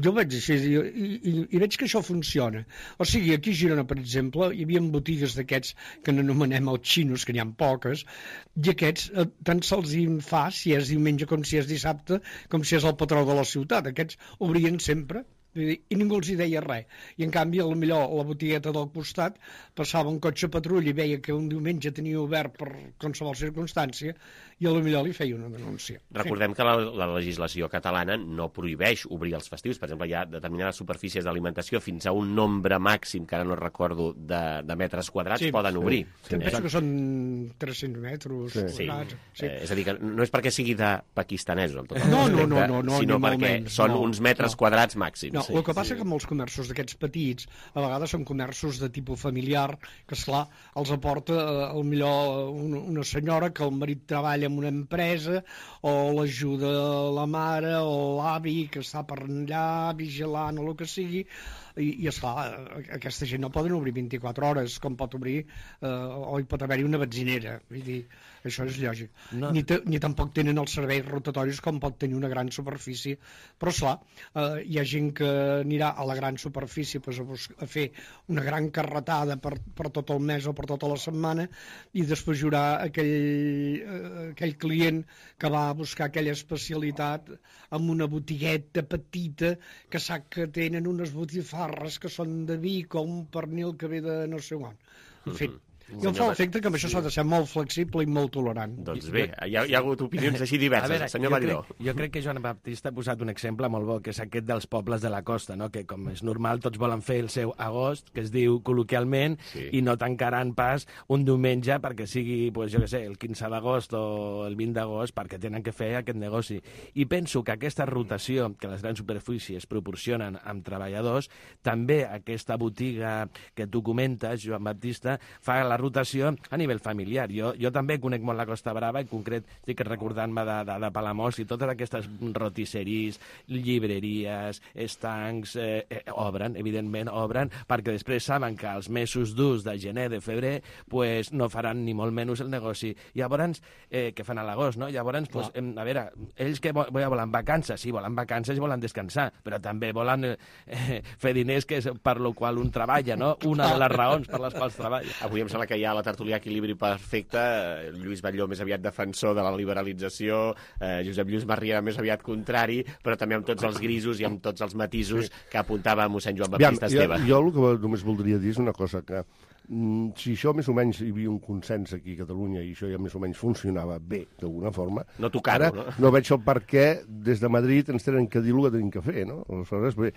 N: Jo veig així i veig que això funciona. O sigui, aquí a Girona, per exemple, hi havia botigues d'aquests que n'anomenem els xinos, que n'hi ha poques, i aquests tant se'ls fa si és diumenge com si és dissabte, com si és el patró de la ciutat. Aquests obrien sempre i ningú els hi deia res. I en canvi, potser la botigueta del costat passava un cotxe patrull i veia que un diumenge tenia obert per qualsevol circumstància i potser li feia una denúncia.
B: Recordem que la legislació catalana no prohibeix obrir els festius. Per exemple, hi ha determinades superfícies d'alimentació fins a un nombre màxim, que ara no recordo, de metres quadrats, poden obrir.
N: Penso que són 300 metres quadrats.
B: És a dir, que no és perquè sigui de pakistanesos,
N: no,
B: sinó perquè són uns metres quadrats màxims.
N: el que passa que molts comerços d'aquests petits a vegades són comerços de tipus familiar, que esclar, els aporta millor una senyora que el marit treballa en una empresa, o l'ajuda la mare o l'avi que està per allà vigilant o el que sigui, i esclar, aquesta gent no poden obrir 24 hores com pot obrir o hi pot haver-hi una benzinera, vull dir, això és lògic. Ni tampoc tenen els serveis rotatoris com pot tenir una gran superfície, però esclar, hi ha gent que anirà a la gran superfície a fer una gran carretada per tot el mes o per tota la setmana, i després hi haurà aquell client que va a buscar aquella especialitat amb una botigueta petita que sap que tenen unes botifarres que són de Vic o un pernil que ve de no sé on. En fi, i em fa l'efecte que amb això s'ha de ser molt flexible i molt tolerant.
B: Doncs bé, hi ha hagut opinions així diverses. Senyor Batlló.
L: Jo crec que Joan Baptista ha posat un exemple molt bo, que és aquest dels pobles de la costa, no? Que com és normal tots volen fer el seu agost, que es diu col·loquialment, i no tancaran pas un diumenge perquè sigui, pues, jo què sé, el 15 d'agost o el 20 d'agost, perquè tenen que fer aquest negoci. I penso que aquesta rotació que les grans superfícies proporcionen amb treballadors, també aquesta botiga que tu comentes, Joan Baptista, fa la rotació a nivell familiar. Jo també conec molt la Costa Brava, en concret estic recordant-me de Palamós, i totes aquestes rotisseries, llibreries, estancs, obren, evidentment obren, perquè després saben que als mesos durs de gener, de febrer, pues, no faran ni molt menys el negoci. Llavors, què fan a l'agost, no? Llavors, pues, a veure, ells que volen vacances, sí, volen vacances i volen descansar, però també volen fer diners, que és per lo qual un treballa, no? Una de les raons per les quals treballa.
B: Avui em sembla que hi ha a la tertúlia equilibri perfecte, Lluís Batlló més aviat defensor de la liberalització, Josep Lluís Marriera més aviat contrari, però també amb tots els grisos i amb tots els matisos que apuntava mossèn Joan Baptista Esteve.
M: Jo el que només voldria dir és una cosa, que si això més o menys hi havia un consens aquí a Catalunya i això ja més o menys funcionava bé d'alguna forma,
B: no tocar-ho,
M: ara no veig el per què des de Madrid ens tenen que dir el que tenim que fer, no? Aleshores, bé,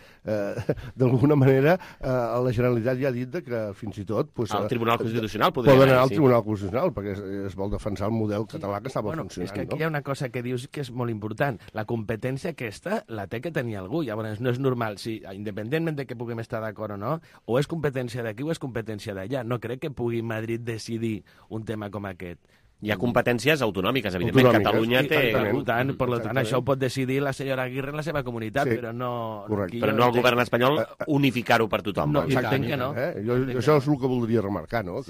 M: d'alguna manera la Generalitat ja ha dit que fins i tot
B: el Tribunal Constitucional podria
M: anar al Tribunal Constitucional perquè es vol defensar el model català que estava funcionant.
L: És que aquí hi ha una cosa que dius que és molt important. La competència aquesta la té que tenir algú. Llavors no és normal, si independentment de que puguem estar d'acord o no, o és competència d'aquí o és competència d'allà. No crec que pugui Madrid decidir un tema com aquest.
B: Hi ha competències autonòmiques, evidentment. Catalunya té...
L: Per tant, això ho pot decidir la senyora Aguirre en la seva comunitat, però no...
B: Però no el govern espanyol unificar-ho per tothom.
L: No, exacte que no.
M: Això és el que voldria remarcar, no?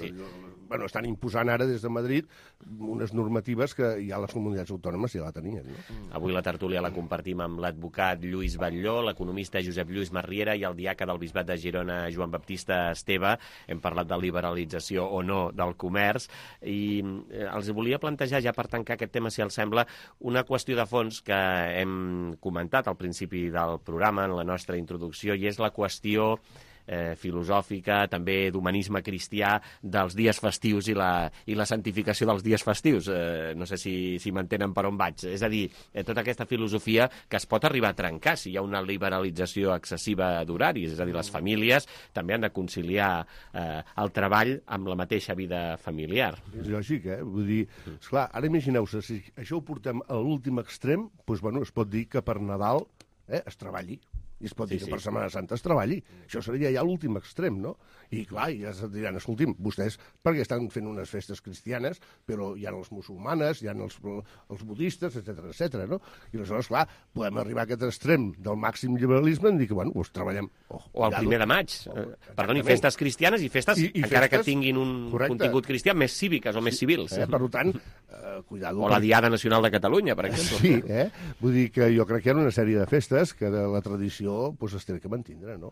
M: Bueno, estan imposant ara des de Madrid unes normatives que ja les comunitats autònomes ja la tenien. No?
B: Avui la tertúlia la compartim amb l'advocat Lluís Batlló, l'economista Josep Lluís Marriera i el diaca del Bisbat de Girona, Joan Baptista Esteve. Hem parlat de liberalització o no del comerç i els volia plantejar, ja per tancar aquest tema, si els sembla, una qüestió de fons que hem comentat al principi del programa, en la nostra introducció, i és la qüestió filosòfica, també d'humanisme cristià, dels dies festius i la santificació dels dies festius. No sé si m'entenen per on vaig. És a dir, tota aquesta filosofia que es pot arribar a trencar si hi ha una liberalització excessiva d'horaris. És a dir, les famílies també han de conciliar el treball amb la mateixa vida familiar.
M: És lògic, Vull dir, esclar, ara imagineu-se, si això ho portem a l'últim extrem, doncs, bueno, es pot dir que per Nadal es treballi. I es pot dir que per Setmana Santa es treballi. Això seria ja l'últim extrem, no? I clar, ja es diran, escolti'm, vostès perquè estan fent unes festes cristianes, però hi ha els musulmanes, hi ha els budistes, etc, no? I aleshores, clar, podem arribar a aquest extrem del màxim liberalisme i dir que, bueno, doncs treballem.
B: O el 1 de maig. Perdoni, festes cristianes i festes, encara que tinguin un contingut cristià, més cíviques o més civils.
M: Per tant, cuidado.
B: O la Diada Nacional de Catalunya, per exemple.
M: Sí, vull dir que jo crec que hi ha una sèrie de festes que de la tradició es té que mantindre, no?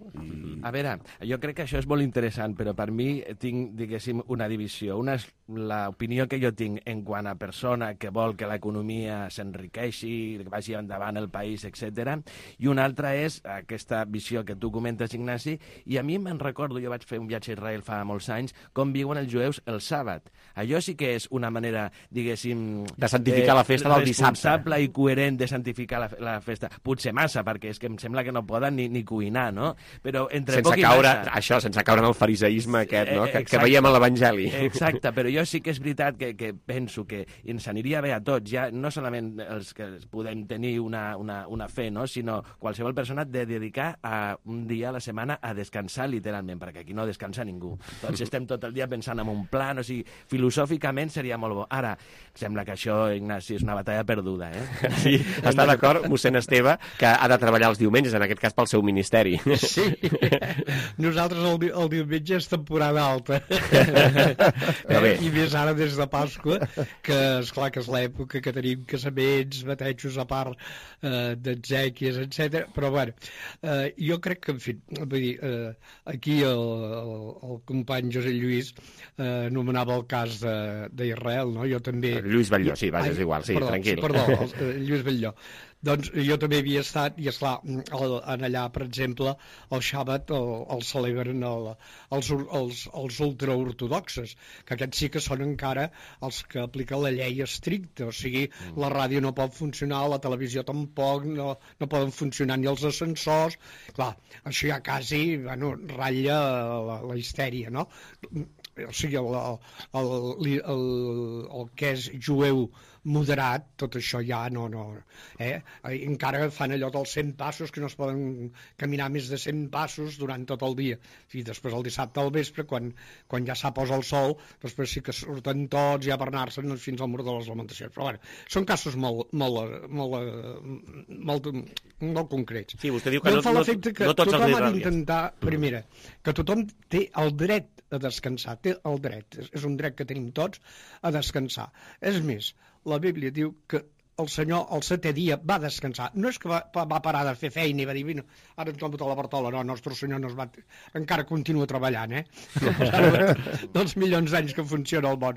L: A veure, jo crec que això és molt interessant, però per mi tinc, diguéssim, una divisió. Una és l'opinió que jo tinc en quant a persona que vol que l'economia s'enriqueixi, que vagi endavant el país, etc. I una altra és aquesta visió que tu comentes, Ignasi, i a mi me'n recordo, jo vaig fer un viatge a Israel fa molts anys, com viuen els jueus el sàbat. Allò sí que és una manera, diguéssim, diguéssim...
B: De santificar la festa del dissabte.
L: Responsable i coherent de santificar la festa. Potser massa, perquè és que em sembla que no poden ni cuinar, no? Però entre poc i massa...
B: Això, sense caure en el fariseisme aquest, no? Que veiem a l'Evangeli.
L: Exacte, però jo sí que és veritat que penso que ens aniria bé a tots, ja no solament els que podem tenir una fe, no? Sinó qualsevol persona de dedicar un dia a la setmana a descansar literalment, perquè aquí no descansa ningú. Tots estem tot el dia pensant en un plan, o sigui, filosòficament seria molt bo. Ara, sembla que això, Ignasi, és una batalla perduda, eh?
B: Sí, està d'acord, mossèn Esteve, que ha de treballar els diumenges, en aquest cas pel seu ministeri.
N: Sí, nosaltres el diumenge és temporada alta. I més ara des de Pasqua, que esclar que és l'època que tenim casaments, batejos a part d'exèquies, etc. Però bueno, jo crec que, en fi, vull dir, aquí el company José Lluís anomenava el cas d'Israel, no? Jo també...
B: Lluís Batlló, sí, vaja, és igual, sí, tranquil.
N: Perdó, Lluís Batlló. Doncs jo també havia estat, i esclar, en allà, per exemple, el Xàbat el celebren els ultraortodoxes, que aquests sí que són encara els que apliquen la llei estricta, o sigui, la ràdio no pot funcionar, la televisió tampoc, no poden funcionar ni els ascensors, clar, això ja quasi, bueno, ratlla la histèria, no? O sigui, el que és jueu moderat, tot això ja no. Encara fan allò dels 100 passos, que no es poden caminar més de 100 passos durant tot el dia. I després el dissabte al vespre, quan ja s'aposa el sol, després sí que surten tots ja per anar-se'n fins al mur de les lamentacions. Però bueno, són casos molt concrets.
B: Sí, vostè diu que no tots
N: tothom ha d'intentar, primera, que tothom té el dret a descansar, té el dret, és un dret que tenim tots a descansar. És més, la Bíblia diu que el Senyor el 7è dia va descansar. No és que va parar de fer feina i va dir, ara em tomo la bartola, no, el nostre Senyor encara continua treballant, dels milions d'anys que funciona el món.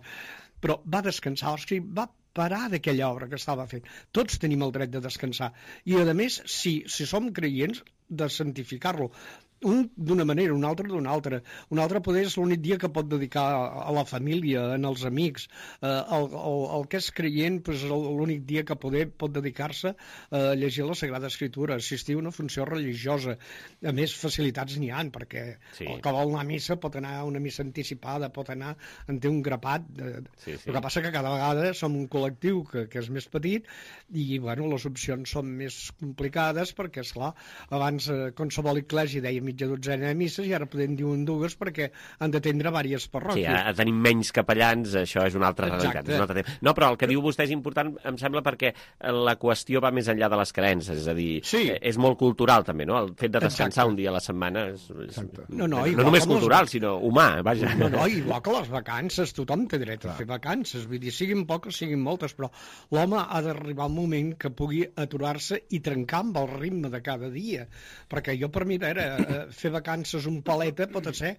N: Però va descansar, o sigui, va parar d'aquella obra que estava fent. Tots tenim el dret de descansar. I, a més, si som creients, de santificar-lo. Un d'una manera, un altre d'una altra. Un altre poder és l'únic dia que pot dedicar a la família, als amics. El que és creient és l'únic dia que pot dedicar-se a llegir la Sagrada Escritura, assistir a una funció religiosa. A més, facilitats n'hi ha, perquè el que vol anar a missa pot anar a una missa anticipada, pot anar en té un grapat. El que passa que cada vegada som un col·lectiu que és més petit i, bueno, les opcions són més complicades perquè, esclar, abans qualsevol eclèsia deia mitja dotzena de misses i ara podem dir un dues perquè han d'atendre diverses parròquies.
B: Sí, a tenir menys capellans, això és una altra realitat. No, però el que diu vostè és important, em sembla, perquè la qüestió va més enllà de les creences, és a dir, és molt cultural també, no? El fet de descansar un dia a la setmana no només cultural, sinó humà, vaja.
N: No, igual que les vacances, tothom té dret a fer vacances, vull dir, siguin poques, siguin moltes, però l'home ha d'arribar un moment que pugui aturar-se i trencar amb el ritme de cada dia, perquè jo per mi, a veure, fer vacances un paleta pot ser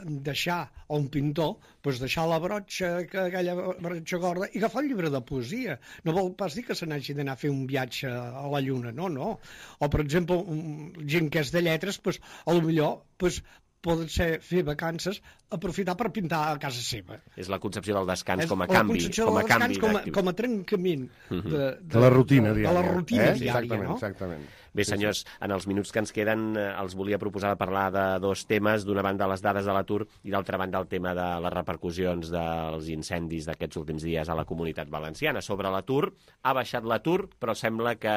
N: deixar, o un pintor, deixar la brotxa, aquella brotxa gorda, i agafar el llibre de poesia. No vol pas dir que se n'hagi d'anar a fer un viatge a la lluna, no. O, per exemple, gent que és de lletres, potser poden ser fer vacances, aprofitar per pintar a casa seva.
B: És la concepció del descans com a canvi.
N: Com a trencament
M: de la rutina diària.
N: De la rutina diària, no?
M: Exactament.
B: Bé, senyors, en els minuts que ens queden els volia proposar de parlar de dos temes. D'una banda, les dades de l'atur i d'altra banda, el tema de les repercussions dels incendis d'aquests últims dies a la Comunitat Valenciana. Sobre l'atur, ha baixat l'atur, però sembla que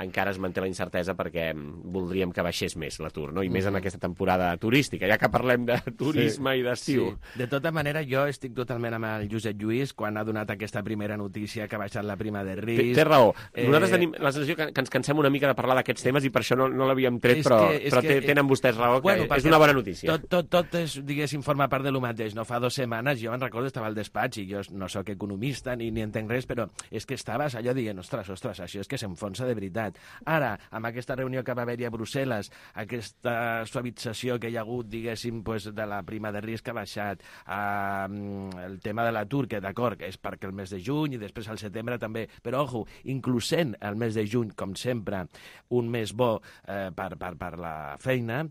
B: encara es manté la incertesa perquè voldríem que baixés més l'atur, no? I més en aquesta temporada turística, ja que parlem de turisme i d'estiu.
L: De tota manera, jo estic totalment amb el Josep Lluís quan ha donat aquesta primera notícia que ha baixat la prima de risc.
B: Té raó. Nosaltres tenim la sensació que ens cansem una mica de parlar d'aquests temes i per això no l'havíem tret, però tenen vostès raó, que és una bona notícia.
L: Tot és, diguéssim, forma part de lo mateix. No fa 2 setmanes, jo me'n recordo, estava al despatx i jo no sóc economista ni entenc res, però és que estaves allò dient, ostres, això és que s'enfonsa de veritat. Ara, amb aquesta reunió que va haver-hi a Brussel·les, aquesta suavització que hi ha hagut, diguéssim, de la prima de risc que ha baixat, el tema de l'atur, que d'acord, és perquè el mes de juny i després al setembre també, però, ojo, inclusent el mes de juny, com sempre, un mes bo per la feina,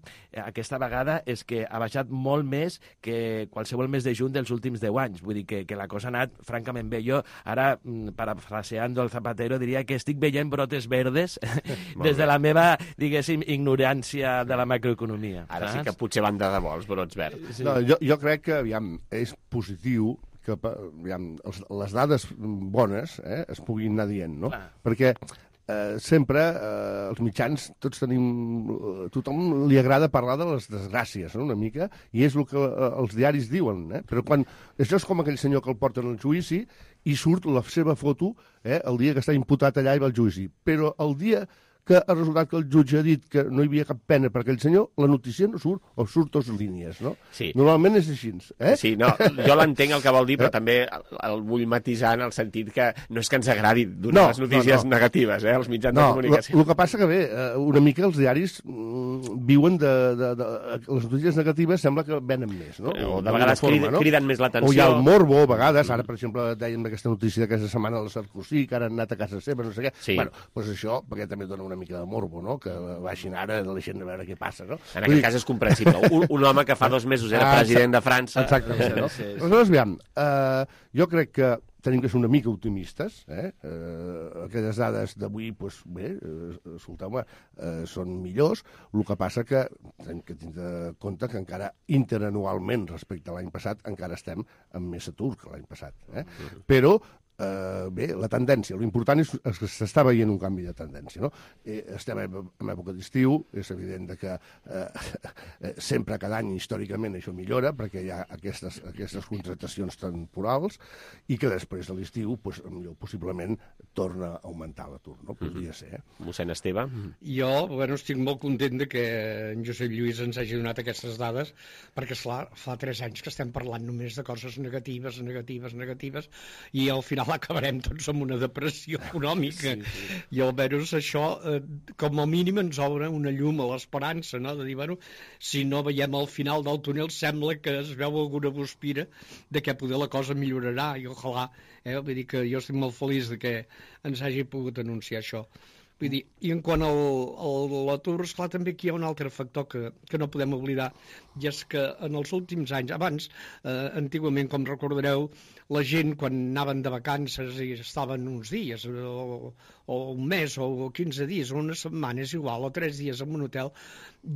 L: aquesta vegada és que ha baixat molt més que qualsevol mes de juny dels últims 10 anys. Vull dir que la cosa ha anat francament bé. Jo ara, parafraseando el Zapatero, diria que estic veient brotes verdes des de la meva, diguéssim, ignorància de la macroeconomia.
B: Ara sí que potser van de debò els brots verds.
M: No, jo crec que, aviam, és positiu que les dades bones es puguin anar dient, no? Perquè sempre els mitjans, tothom li agrada parlar de les desgràcies, no? Una mica, i és el que els diaris diuen, però quan això és com aquell senyor que el porten al judici i surt la seva foto el dia que està imputat allà i va al judici, però el dia que ha resultat que el jutge ha dit que no hi havia cap pena per aquell senyor, la notícia no surt, o surt 2 línies, no?
B: Sí.
M: Normalment és així,
B: Sí, no, jo l'entenc el que vol dir, però també el vull matisar en el sentit que no és que ens agradi donar les notícies negatives, als mitjans de comunicació.
M: El que passa que bé, una mica els diaris viuen de les notícies negatives, sembla que venen més, no?
B: O de vegades criden més l'atenció.
M: O hi ha el morbo, a vegades, ara, per exemple, dèiem d'aquesta notícia d'aquesta setmana de la Sarkozy, que ara han anat a casa seva, no sé què. Bueno, doncs això, perquè també dona una mica de morbo, no? Que baixin ara de la gent a veure què passa, no?
B: En aquest cas és comprensible. Un home que fa 2 mesos era president de França...
M: Exactament, no? Aleshores, aviam, jo crec que tenim que ser una mica optimistes, aquelles dades d'avui, doncs bé, escolteu-me, són millors, el que passa que hem de tindre compte que encara interanualment respecte a l'any passat encara estem amb més atur que l'any passat, però bé, la tendència, l'important és que s'està veient un canvi de tendència, no? Estem en època d'estiu, és evident que sempre, cada any, històricament, això millora, perquè hi ha aquestes contractacions temporals, i que després de l'estiu, possiblement, torna a augmentar l'atur, no? Podria ser,
B: Mossèn Esteve?
N: Jo, estic molt content que en Josep Lluís ens hagi donat aquestes dades, perquè, esclar, fa 3 anys que estem parlant només de coses negatives, i al final acabarem tots amb una depressió econòmica. I almenys això, com a mínim, ens obre una llum a l'esperança, no? De dir, si no veiem al final del túnel, sembla que es veu alguna guspira de que poder la cosa millorarà, i ojalà, vull dir que jo estic molt feliç de que ens hagi pogut anunciar això. Vull dir, i en quant a l'atur, esclar, també aquí hi ha un altre factor que no podem oblidar, i és que en els últims anys, abans, antigament, com recordareu, la gent, quan anaven de vacances i estaven uns dies, o un mes, o 15 dies, o una setmana, és igual, o 3 dies en un hotel,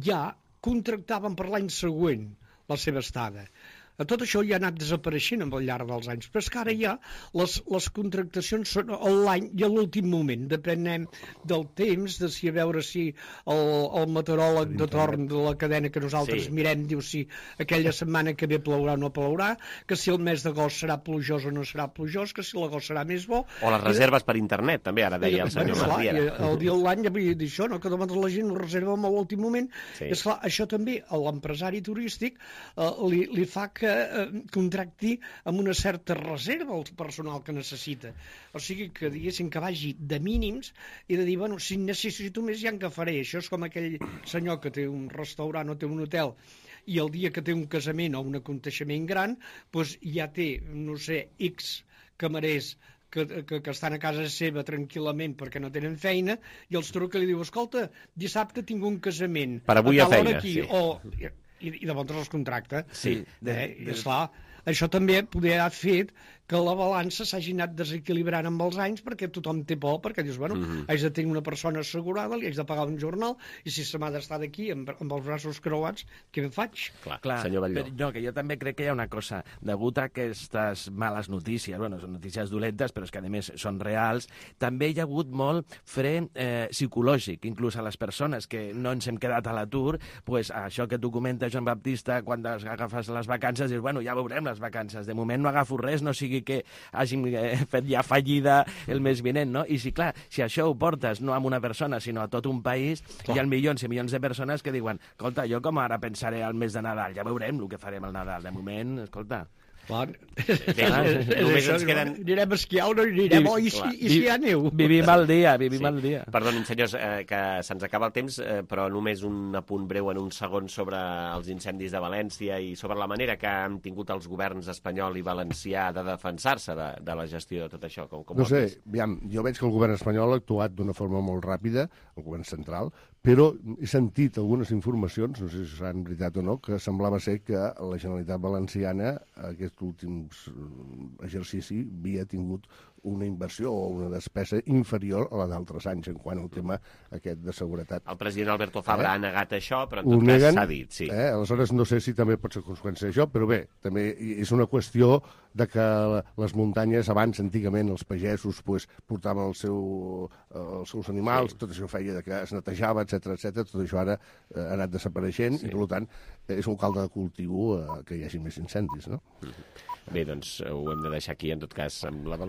N: ja contractaven per l'any següent la seva estada. Tot això ja ha anat desapareixent al llarg dels anys, però és que ara ja les contractacions són l'any i a l'últim moment, depenem del temps, de si a veure si el meteoròleg de torn de la cadena que nosaltres mirem diu si aquella setmana que ve plourà o no plourà, que si el mes d'agost serà plujós o no serà plujós, que si l'agost serà més bo...
B: O les reserves per internet, també, ara deia el senyor Martiera.
N: El dia de l'any ja vull dir això, no? Que demà la gent ho reserva a l'últim moment. És clar, això també a l'empresari turístic li fa que contracti amb una certa reserva el personal que necessita. O sigui que diguéssim que vagi de mínims i de dir, si necessito més ja en què faré. Això és com aquell senyor que té un restaurant o té un hotel i el dia que té un casament o un aconteixement gran, doncs ja té, no sé, X camarers que estan a casa seva tranquil·lament perquè no tenen feina, i els truca i li diu, escolta, dissabte tinc un casament.
B: Per avui a feina, sí.
N: I de llavors els contracta. Sí. Esclar, això també poder ha fet que la balança s'hagi anat desequilibrant amb els anys, perquè tothom té por, perquè dius, haig de tenir una persona assegurada, li haig de pagar un jornal, i si se m'ha d'estar d'aquí amb els braços creuats, què em faig?
B: Clar, senyor Batlló.
L: No, que jo també crec que hi ha una cosa, degut a aquestes males notícies, són notícies dolentes, però és que a més són reals, també hi ha hagut molt fre psicològic, inclús a les persones que no ens hem quedat a l'atur, pues això que tu comentes, Joan Baptista, quan agafes les vacances, dius, ja veurem les vacances, de moment no agafo res, no sigui que hàgim fet ja fallida el mes vinent, no? I si això ho portes no a una persona, sinó a tot un país, hi ha milions i milions de persones que diuen, escolta, jo com ara pensaré al mes de Nadal, ja veurem el que farem al Nadal, de moment, escolta...
B: Només ens queden...
N: Anirem a esquiar o no anirem, i si hi ha neu.
L: Vivim al dia, vivim al dia.
B: Perdonin, senyors, que se'ns acaba el temps, però només un apunt breu en un segon sobre els incendis de València i sobre la manera que han tingut els governs espanyol i valencià de defensar-se de la gestió de tot això.
M: No sé, jo veig que el govern espanyol ha actuat d'una forma molt ràpida, el govern central, però he sentit algunes informacions, no sé si seran veritat o no, que semblava ser que la Generalitat Valenciana aquest últim exercici havia tingut una inversió o una despesa inferior a la d'altres anys en quant al tema aquest de seguretat.
B: El president Alberto Fabra ha negat això, però en tot cas s'ha dit, sí.
M: Aleshores no sé si també pot ser conseqüència d'això, però bé, també és una qüestió de que les muntanyes abans, antigament, els pagesos portaven els seus animals, tot això feia que es netejava, etc. Tot això ara ha anat desapareixent i, per tant, és un calde de cultiu que hi hagi més incendis, no?
B: Bé, doncs ho hem de deixar aquí, en tot cas, amb la valoració